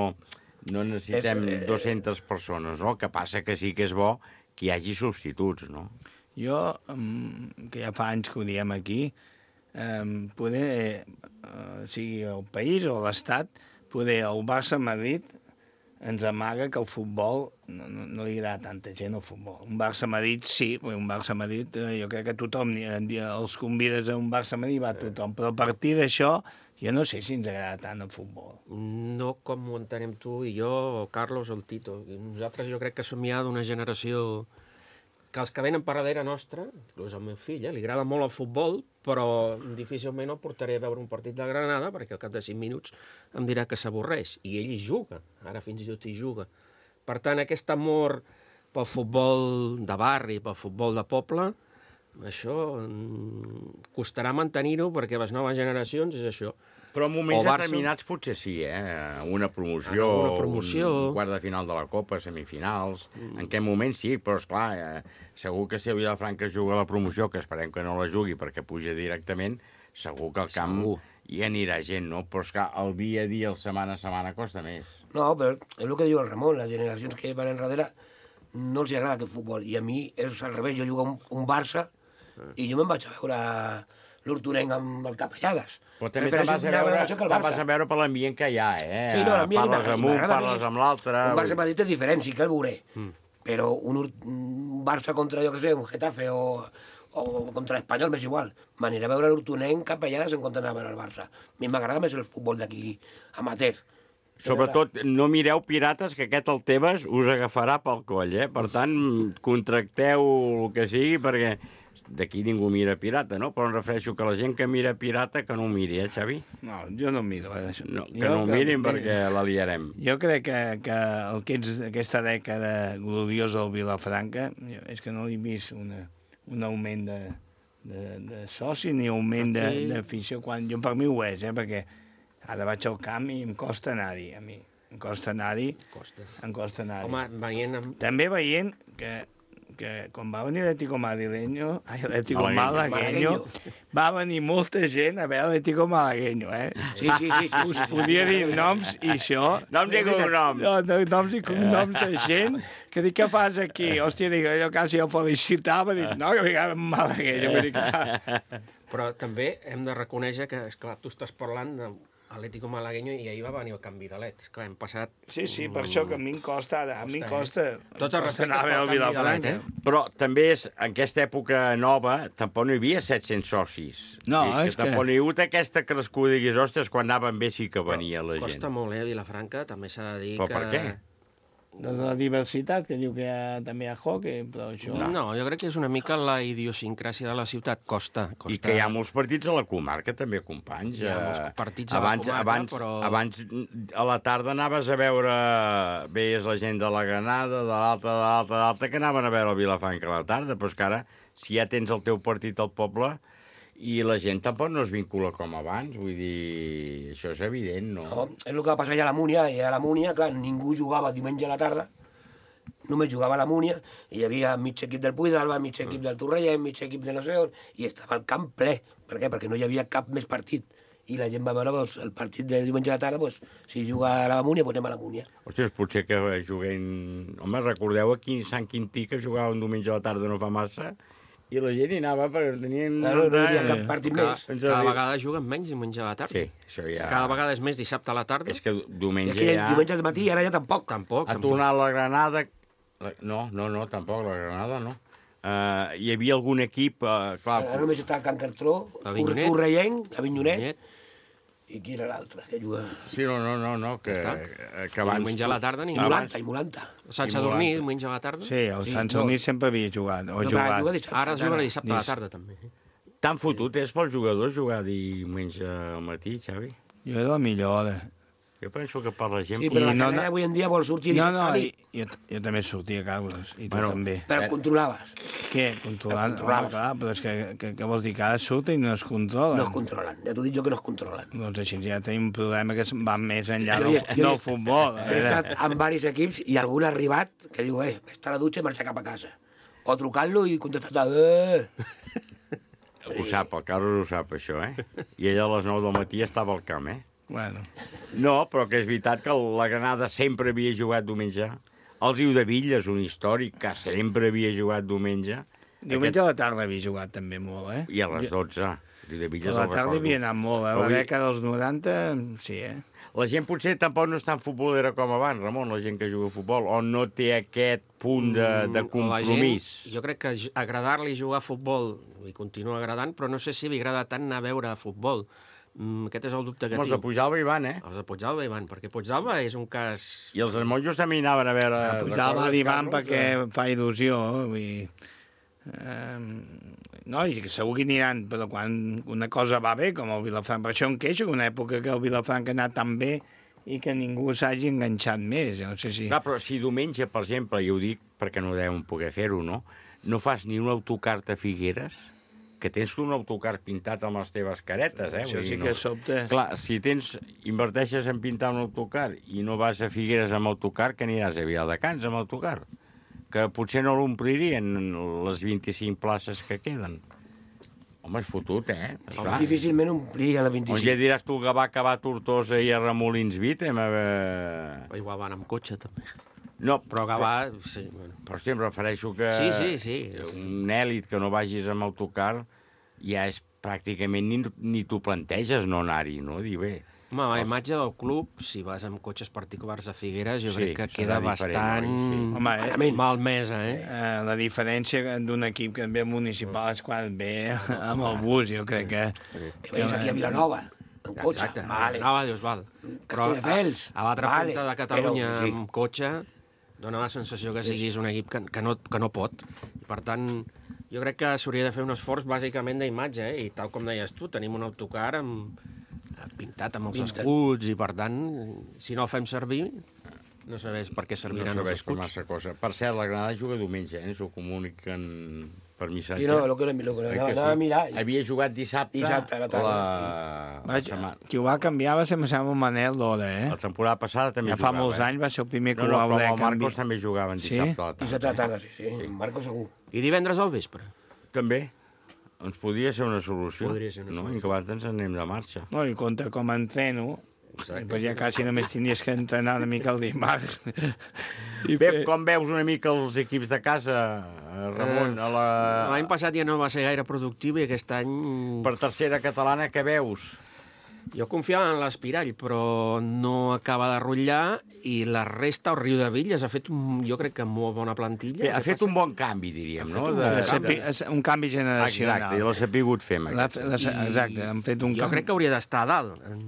no necessitem És, eh, dues-centes persones, no? El que passa que sí que és bo que hi hagi substituts, no? Jo, mm, que ja fa anys que ho diem aquí, eh, poder, eh, sigui el país o l'Estat, poder el Barça-Madrid ens amaga que el futbol no, no, no li agrada tanta gent al futbol. Un Barça-Madrid sí, un Barça-Madrid eh, jo crec que tothom, eh, els convides a un Barça-Madrid va tothom, però a partir d'això jo no sé si ens agrada tant el futbol. No com ho entenem tu i jo, o Carlos o el Tito. Nosaltres jo crec que som ja d'una generació que els que venen per darrere nostra, inclús el meu fill, eh, li agrada molt el futbol, però difícilment el portaré a veure un partit de Granada perquè al cap de cinc minuts em dirà que s'avorreix. I ell hi juga, ara fins i tot hi juga. Per tant, aquest amor pel futbol de barri, pel futbol de poble, això mm, costarà mantenir-ho perquè les noves generacions és això. Però en moments O Barça- determinats potser sí, eh? Una promoció, Ah, una promoció. Un, un quart de final de la Copa, semifinals... Mm. En aquest moment sí, però esclar, eh, segur que si el Vilafranca juga a la promoció, que esperem que no la jugui perquè puja directament, segur que al camp Segur. hi anirà gent, no? Però esclar, el dia a dia, el setmana a setmana, costa més. No, però és el que diu el Ramon, les generacions que van enrere no els agrada aquest futbol. I a mi és al revés, jo jugo un, un Barça i jo me'n vaig a veure l'Hortonenc amb el Capellades. Però també Prefereixo te'n vas a anar veure, això que el te'n Barça. vas a veure per l'ambient que hi ha, eh? Sí, no, l'ambient parles i amb m'agrada un, més. parles amb l'altre... Un Barça Madrid és diferent, sí que el veuré. Mm. Però un, Hort- un Barça contra, jo què sé, un Getafe o, o contra l'Espanyol, m'és igual. M'aniré a veure l'Hortonenc Capellades en compte d'anar a veure el Barça. A mi m'agrada més el futbol d'aquí amateur. Sobretot, no mireu pirates, que aquest el Tebas us agafarà pel coll, eh? Per tant, contracteu el que sigui, perquè d'aquí ningú mira pirata, no? Però em refereixo que la gent que mira pirata que no ho miri, eh, Xavi? No, jo no miro, eh, això. No, que Jo no ho que- mirin perquè la liarem. Jo crec que, que el que ets aquesta dècada gloriosa al Vilafranca, jo, és que no he vist una, un augment de, de, de soci ni augment de- Aquí- d'afició, quan jo per mi ho és, eh, perquè ara vaig al camp i em costa anar-hi, a mi. Em costa anar-hi. Costa. Em costa anar-hi. Home, veient... Amb... També veient que, que quan va venir l'Atlético Madrileño, ai, l'Atlético Malagueño. Malagueño, va venir molta gent a veure l'Atlético Malagueño, eh? Sí, sí, sí, sí. Us podia dir noms i això... Noms i cognoms. No, no, noms i cognoms de gent que dic, què fas aquí? Hòstia, dic, jo quasi el felicitava, dic, no, que vinc amb Malagueño. Vull dir que... Però també hem de reconèixer que, esclar, tu estàs parlant de Atlético Malagueño i ahir va venir el canvi d'alet. Esclar, hem passat... Sí, sí, per això que a mi em costa, a mi em costa, eh? Tots els costa respectes anar a veure pel el canvi Vilafranca. d'alet, eh? Però també és, en aquesta època nova, tampoc no hi havia set-cents socis. No, I és que- tampoc no hi ha hagut aquesta crescuda, diguis, ostres, quan anaven bé sí que venia la gent. Costa molt, eh, Vilafranca, també s'ha de dir Però que... per què? De la diversitat, que diu que hi ha, també hi ha hockey, però això... No. no, jo crec que és una mica la idiosincràsia de la ciutat. Costa, costa. I que hi ha molts partits a la comarca, també, companys. Hi ha Eh, molts partits a la abans, comarca, abans, però- Abans, a la tarda anaves a veure... Veies la gent de la Granada, de l'alta, de l'alta, de l'alta, que anaven a veure el Vilafranca a la tarda, però és que ara, si ja tens el teu partit al poble I la gent tampoc no es vincula com abans, vull dir, això és evident, no? No, és el que va passar allà a la Múnia, i a la Múnia, clar, ningú jugava diumenge a la tarda, només jugava a la Múnia, i hi havia mig equip del Puig d'Alba, mig equip del Torrellent, mig equip de no sé on, i estava el camp ple. Per què? Perquè no hi havia cap més partit. I la gent va veure doncs, el partit de diumenge a la tarda, doncs, si juga a la Múnia, doncs anem a la Múnia. Ostres, potser que juguem... Home, recordeu aquí Sant Quintí, que jugava un diumenge a la tarda no fa massa, i la gent hi anava perquè tenien... Claro, no hi havia cap partit Cada, més. cada vegada juguen menys diumenge a la tarda. Sí, això ja... Cada vegada és més dissabte a la tarda. És que diumenge I aquí ja... diumenge al matí, ara ja tampoc. Tampoc, Ha tampoc. tornat la Granada... No, no, no, tampoc, la Granada no. Uh, hi havia algun equip... Uh, clar, Ara només està a Can Cartró, Avinyonet. Torrellent, Avinyonet, i qui era l'altre que juga? Sí, no, no, no, no que, Ja que abans... Diumenge a la tarda I ningú. Molanta, i Molanta. Sant Sadurní, diumenge a la tarda. Sí, el Sant Sadurní sempre havia jugat, o No, però jugat. juga dissabte. Ara es juga dissabte a la tarda, també. Tan fotut és pels jugadors jugar diumenge al matí, Xavi? Jo era la millor hora. Jo penso que per la gent... Sí, però I la no- canalla avui en dia vol sortir No, dissabte no, a la i, nit. jo, jo també sortia, Carles, i tu Bueno, també. Però controlaves. Què? Controlant? El controlaves. Home, clar, però és que, que, que vols dir que ara surten i no es controlen. No es controlen, ja t'ho dic jo que no es controlen. Doncs així ja tenim un problema que va més enllà Jo del, hi he- jo hi he- del futbol. A He veure. estat en diversos equips i algun ha arribat que diu, eh, està a la dutxa i marxa cap a casa. O trucant-lo i contestar, eh... Ho sap, el Carlos ho sap, això, eh? I ell a les nou del matí estava al camp, eh? Bueno. No, però que és veritat que la Granada sempre havia jugat diumenge. El Riu de Villes, un històric, que sempre havia jugat diumenge. Diumenge a la tarda havia jugat també molt, eh? I a les dotze. El Riu de Villes A la el tarda recordo. havia anat molt, eh? Però La vull- dècada dels noranta, sí, eh? La gent potser tampoc no és tan futbolera com abans, Ramon, la gent que juga a futbol, o no té aquest punt de, de Mm, compromís. La gent, jo crec que j- agradar-li jugar a futbol li continua agradant, però no sé si li agrada tant anar a veure futbol. Mm, aquest és el dubte que Els de tinc. Puigdàlber hi van, eh? Els de Puigdàlber hi van, perquè Puigdàlber és un cas... I els monjos també hi anaven a veure... A Puigdàlber recordes, hi van Carlos, perquè que- fa il·lusió, vull dir... Eh, no, i que segur que aniran, però quan una cosa va bé, com el Vilafranca, per això em queixo, que una època que el Vilafranca ha anat tan bé i que ningú s'hagi enganxat més, jo no sé si... Clar, però si diumenge, per exemple, i ho dic perquè no deuen poder fer-ho, no? No fas ni un autocar a Figueres, que tens un autocar pintat amb les teves caretes, eh? Això Vull sí dir, que no... sobte. Clar, si tens, inverteixes en pintar un autocar i no vas a Figueres amb autocar, que aniràs a Viladecans amb autocar? Que potser no l'omplirien les vint-i-cinc places que queden. Home, és fotut, eh? Clar. Difícilment omplia la On vint-i-cinc. ja diràs tu que va acabar a Tortosa i a Remolins Vitem? A... Igual van amb cotxe, també. No, però Gavà, sí. Bueno. Però, hòstia, em refereixo que... Sí, sí, sí. Un èlit que no vagis amb autocar ja és pràcticament ni, ni t'ho planteges no anar-hi, no? Dir, bé... Home, la imatge del club, si vas amb cotxes particulars a Figueres, jo Sí, crec que serà queda diferent, bastant oi? Sí. Home, eh, malmesa, eh? eh? La diferència d'un equip que ve municipal és quan ve amb el bus, jo crec que... Que veies aquí a Vilanova, en cotxe. Exacte, Vale. Vilanova, dius, val. Però a, Castelldefels, a l'altra vale, punta de Catalunya, però, sí. amb cotxe, dona la sensació que siguis un equip que, que, no, que no pot. I, per tant, jo crec que s'hauria de fer un esforç bàsicament d'imatge, eh? I tal com deies tu, tenim un autocar amb, pintat amb els Pintat. escuts i, per tant, si no el fem servir, no sabés per què serviran no els serveix per escuts. massa cosa. Per cert, la Granada juga diumenge, eh? Ens ho comuniquen per missatge. Sí, no, lo que, lo que Eh anava, que anava a mirar. Havia jugat dissabte, Dissabte a la tarda, la... Vaja, setmana. qui ho va canviar va ser, em sembla, Manel Lora, eh? La temporada passada també Ja fa jugava, molts eh? anys va ser el primer que no, ho va no, voler però el Marcos canviar. també jugaven Sí? dissabte a la tarda. Dissabte a la tarda, sí, sí, sí. Marco segur. I divendres al vespre? També. Ens podria ser una solució. Podria ser una no? solució. I que abans ens anem de marxa. No, i compte com entreno, Exacte. doncs ja quasi només tindries que entrenar una mica el dimarts. I Bé, fer... com veus una mica els equips de casa, Ramon? Eh, A la... L'any passat ja no va ser gaire productiu i aquest any... Per tercera catalana, què veus? Jo confiava en l'Espirall, però no acaba de rotllar i la resta, el Riu de Villes, ha fet, un, jo crec que molt bona plantilla. Bé, ha fet un bon canvi, diríem, no? Un, De, canvi. De... un canvi generacional. Exacte, i l'ha sabut fer. La, la, exacte, han fet un jo canvi. crec que hauria d'estar a dalt, en,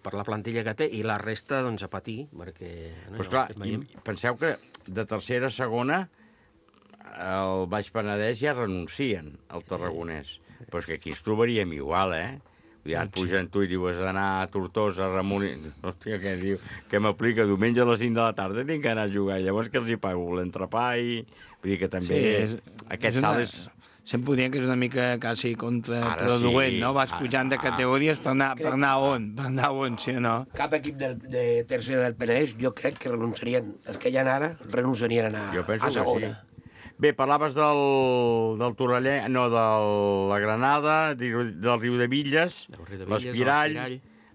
per la plantilla que té, i la resta, doncs, a patir, perquè... No, pues ja clar, penseu que de tercera a segona el Baix Penedès ja renuncien al Tarragonès. Però és que aquí ens trobaríem igual, eh? Ja et pugen tu i dius, has d'anar a Tortosa, a Ramon... Hòstia, què diu? Què m'aplica? Diumenge a les cinc de la tarda tinc que anar a jugar. Llavors que els hi pago l'entrepà i... Vull dir que també... Sí, és, aquest és salt una, és... sempre ho diem que és una mica quasi contraproduent, sí. No? Vas pujant de categories per anar, per anar on, per anar on, sí o no? Cap equip del, de tercera del Penedès, jo crec que renunciarien, els que hi ha ara, renunciarien a, jo penso a segona. Que sí. Bé, parlaves del, del Torrellè, no, de la Granada, del Riu de Villes, l'Espirall,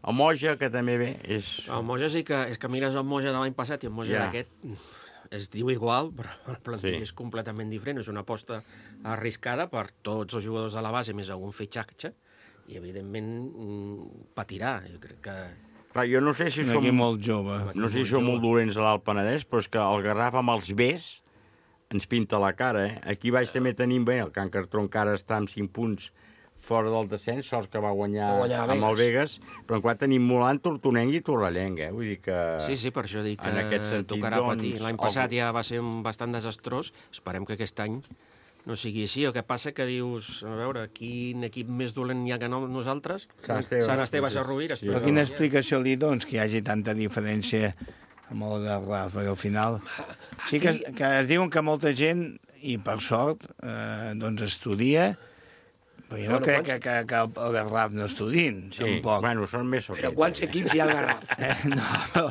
el Moja, que també bé és... El Moja sí que, és que mires el Moja de l'any passat i el Moja yeah. d'aquest es diu igual, però el plantilla sí. és completament diferent. És una aposta arriscada per tots els jugadors de la base, més algun fitxatge, i evidentment patirà. Jo crec que... Clar, jo no sé si som... molt jove. No sé si som molt dolents a l'Alt Penedès, però és que el Garraf amb els Bs ens pinta la cara, eh? Aquí baix també tenim bé, el Can Cartró encara està amb cinc punts fora del descens, sort que va guanyar, va guanyar amb el Vegas, però encara tenim Molant, Tortonenc i Torrellenc, eh? Vull dir que... Sí, sí, per això dic que en aquest sentit, tocarà doncs, patir. L'any passat el... ja va ser bastant desastrós, esperem que aquest any no sigui així. El que passa que dius, a veure, quin equip més dolent hi ha que no nosaltres? Sant Esteve, Sant Esteve Sarrovira. Sí, però quina explicació li dones que hi hagi tanta diferència amb el Garraf? Perquè al final... Sí que, que es diuen que molta gent, i per sort, eh, doncs estudia. Però jo no bueno, crec quants... que, que, que el Garraf no estudin, sí, tampoc. Bueno, són més o Però quants equips hi ha al Garraf? Eh, no, però...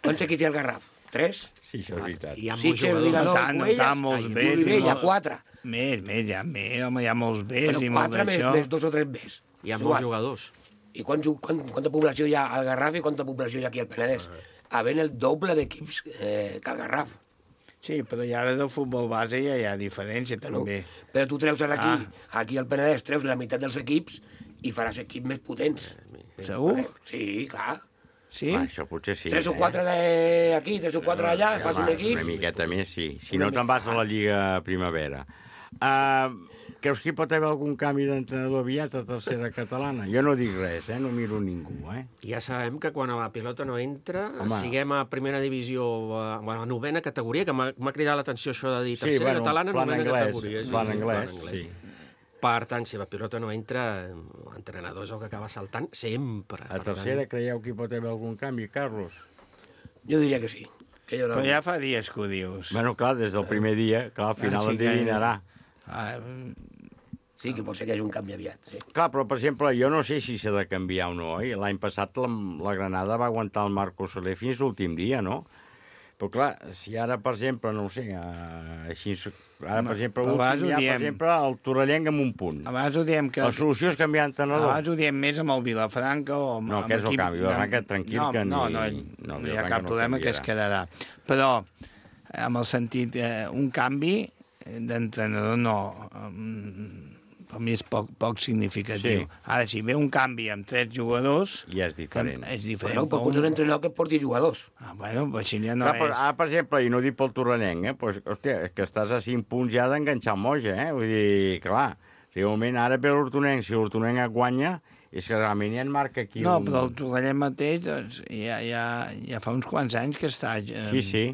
Quants equips hi ha al Garraf? Tres? Sí, això és veritat. Hi ha molts jugadors. No tant, no tant, molts Bs. Hi ha quatre. Més, més, hi ha més, home, hi ha molts Bs i molt d'això. Però quatre més dos o tres Bs. Hi ha molts jugadors. I quant, quant, quanta població hi ha al Garraf i quanta població hi ha aquí al Penedès? Havent el doble d'equips eh, que al Garraf. Sí, però ja des del futbol base ja hi ha diferència, també. No, però tu treus aquí, ah. aquí al Penedès, treus la meitat dels equips i faràs equips més potents. Segur? Sí, clar. Sí? Ah, això potser sí. Tres o quatre d'aquí, tres o quatre allà, ja, fas un equip. Una miqueta més, sí. Si no te'n vas a la Lliga Primavera. Uh, creus que hi pot haver algun canvi d'entrenador aviat a tercera catalana? Jo no dic res, eh? No miro ningú, eh? Ja sabem que quan la pilota no entra, Home. siguem a primera divisió, a, a la novena categoria, que m'ha cridat l'atenció això de dir tercera sí, bueno, catalana, novena anglès, categoria. Sí, plan anglès, plan anglès, sí. Per tant, si la pilota no entra, l'entrenador és el que acaba saltant sempre. A tercera tant... creieu que hi pot haver algun canvi, Carlos? Jo diria que sí. Que Però ja fa dies que ho dius. Bueno, clar, des del primer dia, clar, al final ah, sí endevinarà. Ah, sí, que pot ser que hi hagi un canvi aviat. Sí. Clar, però, per exemple, jo no sé si s'ha de canviar o no. Eh? L'any passat la, la Granada va aguantar el Marco Soler fins l'últim dia, no? Però, clar, si ara, per exemple, no ho sé, uh, així, ara, per exemple, l'últim dia, per exemple, el Torrellenc amb un punt. Abans ho diem que... La solució és canviar d'entrenador. Abans ho diem més amb el Vilafranca o amb... No, que és el canvi. Vilafranca, tranquil, no, que no, ni... No, no, no hi ha cap no problema canviarà. Que es quedarà. Però, amb el sentit, eh, un canvi d'entrenador no... Per mi és poc, poc significatiu. Sí. Ara, si ve un canvi amb tres jugadors... Ja és diferent. És diferent. Bueno, però un... un entrenador que porti jugadors. Ah, bueno, però així ja no Clar, és... Però, ara, per exemple, i no dic pel Torrellenc, eh? Pues, hòstia, és que estàs a cinc punts ja d'enganxar el Moja, eh? Vull dir, clar, si de moment ara ve l'Hortonenc, si l'Hortonenc et guanya, és que realment ja en marca aquí no, un... No, però el Torrellenc mateix doncs, ja, ja, ja fa uns quants anys que està eh, sí, sí.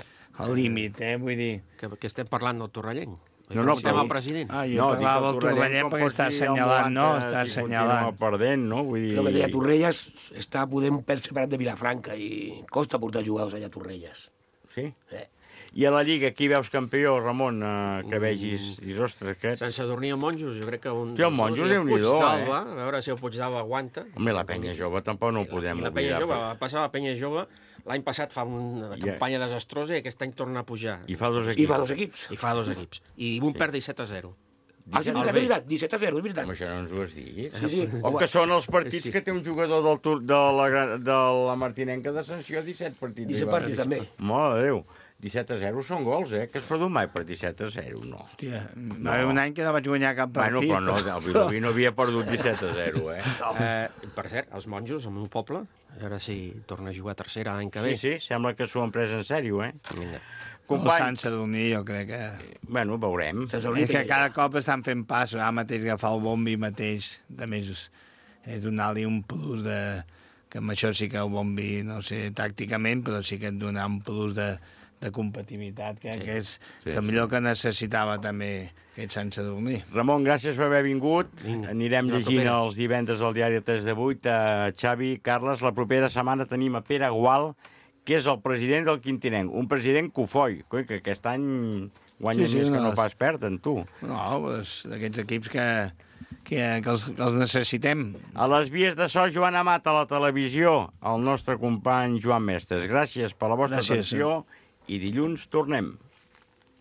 al límit, eh? Vull dir... Que, que estem parlant del Torrellenc. No, no, però... president. Ah, jo no, parlava del Torrellenc perquè està assenyalant, no? Està assenyalant. Perdent, no? Vull dir... El que deia Torrelles està podent per separat de Vilafranca i costa portar jugadors allà a Torrelles. Sí? Eh. I a la Lliga, qui veus campió, Ramon, eh, que vegis? I, ostres, aquests... Sant Sadurní o Monjos, jo crec que un... Sí, el Monjos, Déu-n'hi-do, eh? A veure si el Puigdàlber aguanta. Home, la penya jove tampoc no ho podem oblidar. La penya jove, va passar la penya jove... L'any passat fa una campanya yeah. desastrosa i aquest any torna a pujar. I fa dos equips. I fa dos equips. I fa dos equips. I un sí. perd disset a zero. Ah, sí, és veritat, és veritat. disset a zero, és veritat. Com això no ens ho has dit. Sí, sí. O que són els partits sí. que té un jugador del tur, de, la, de la Martinenca de Sanció, disset partits. disset partits, també. Mare de Déu. disset a zero són gols, eh? Que es produn mai per disset a zero, no. Hòstia, va haver un any que no vaig guanyar cap partit. Bueno, però no, el Vilobí no havia perdut disset a zero, eh? No. eh per cert, els Monjos, el meu poble, a veure si torna a jugar a tercera l'any que ve. Sí, sí, sembla que s'ho han pres en sèrio, eh? Vinga. Companys... El Sant Sadurní, jo crec que... Bueno, veurem. És que cada cop estan fent passos. Ara mateix agafar el bombi mateix, de més, és donar-li un plus de... Que amb això sí que el bombi, no sé, tàcticament, però sí que et donar un plus de... de competitivitat, que, sí, que és sí, que millor sí. que necessitava també aquest Sant Sadurní. Ramon, gràcies per haver vingut. Vinga. Anirem llegint els divendres al diari tres de vuit. Uh, Xavi, Carles, la propera setmana tenim a Pere Gual que és el president del Quintinenc, un president cofoi, coi, que aquest any guanya Sí, sí, més que no, no pas perden, tu. No, doncs, d'aquests equips que, que, que, els, que els necessitem. A les vies de so, Joan Amat, a la televisió, el nostre company Joan Mestres. Gràcies per la vostra Gràcies. atenció i dilluns tornem.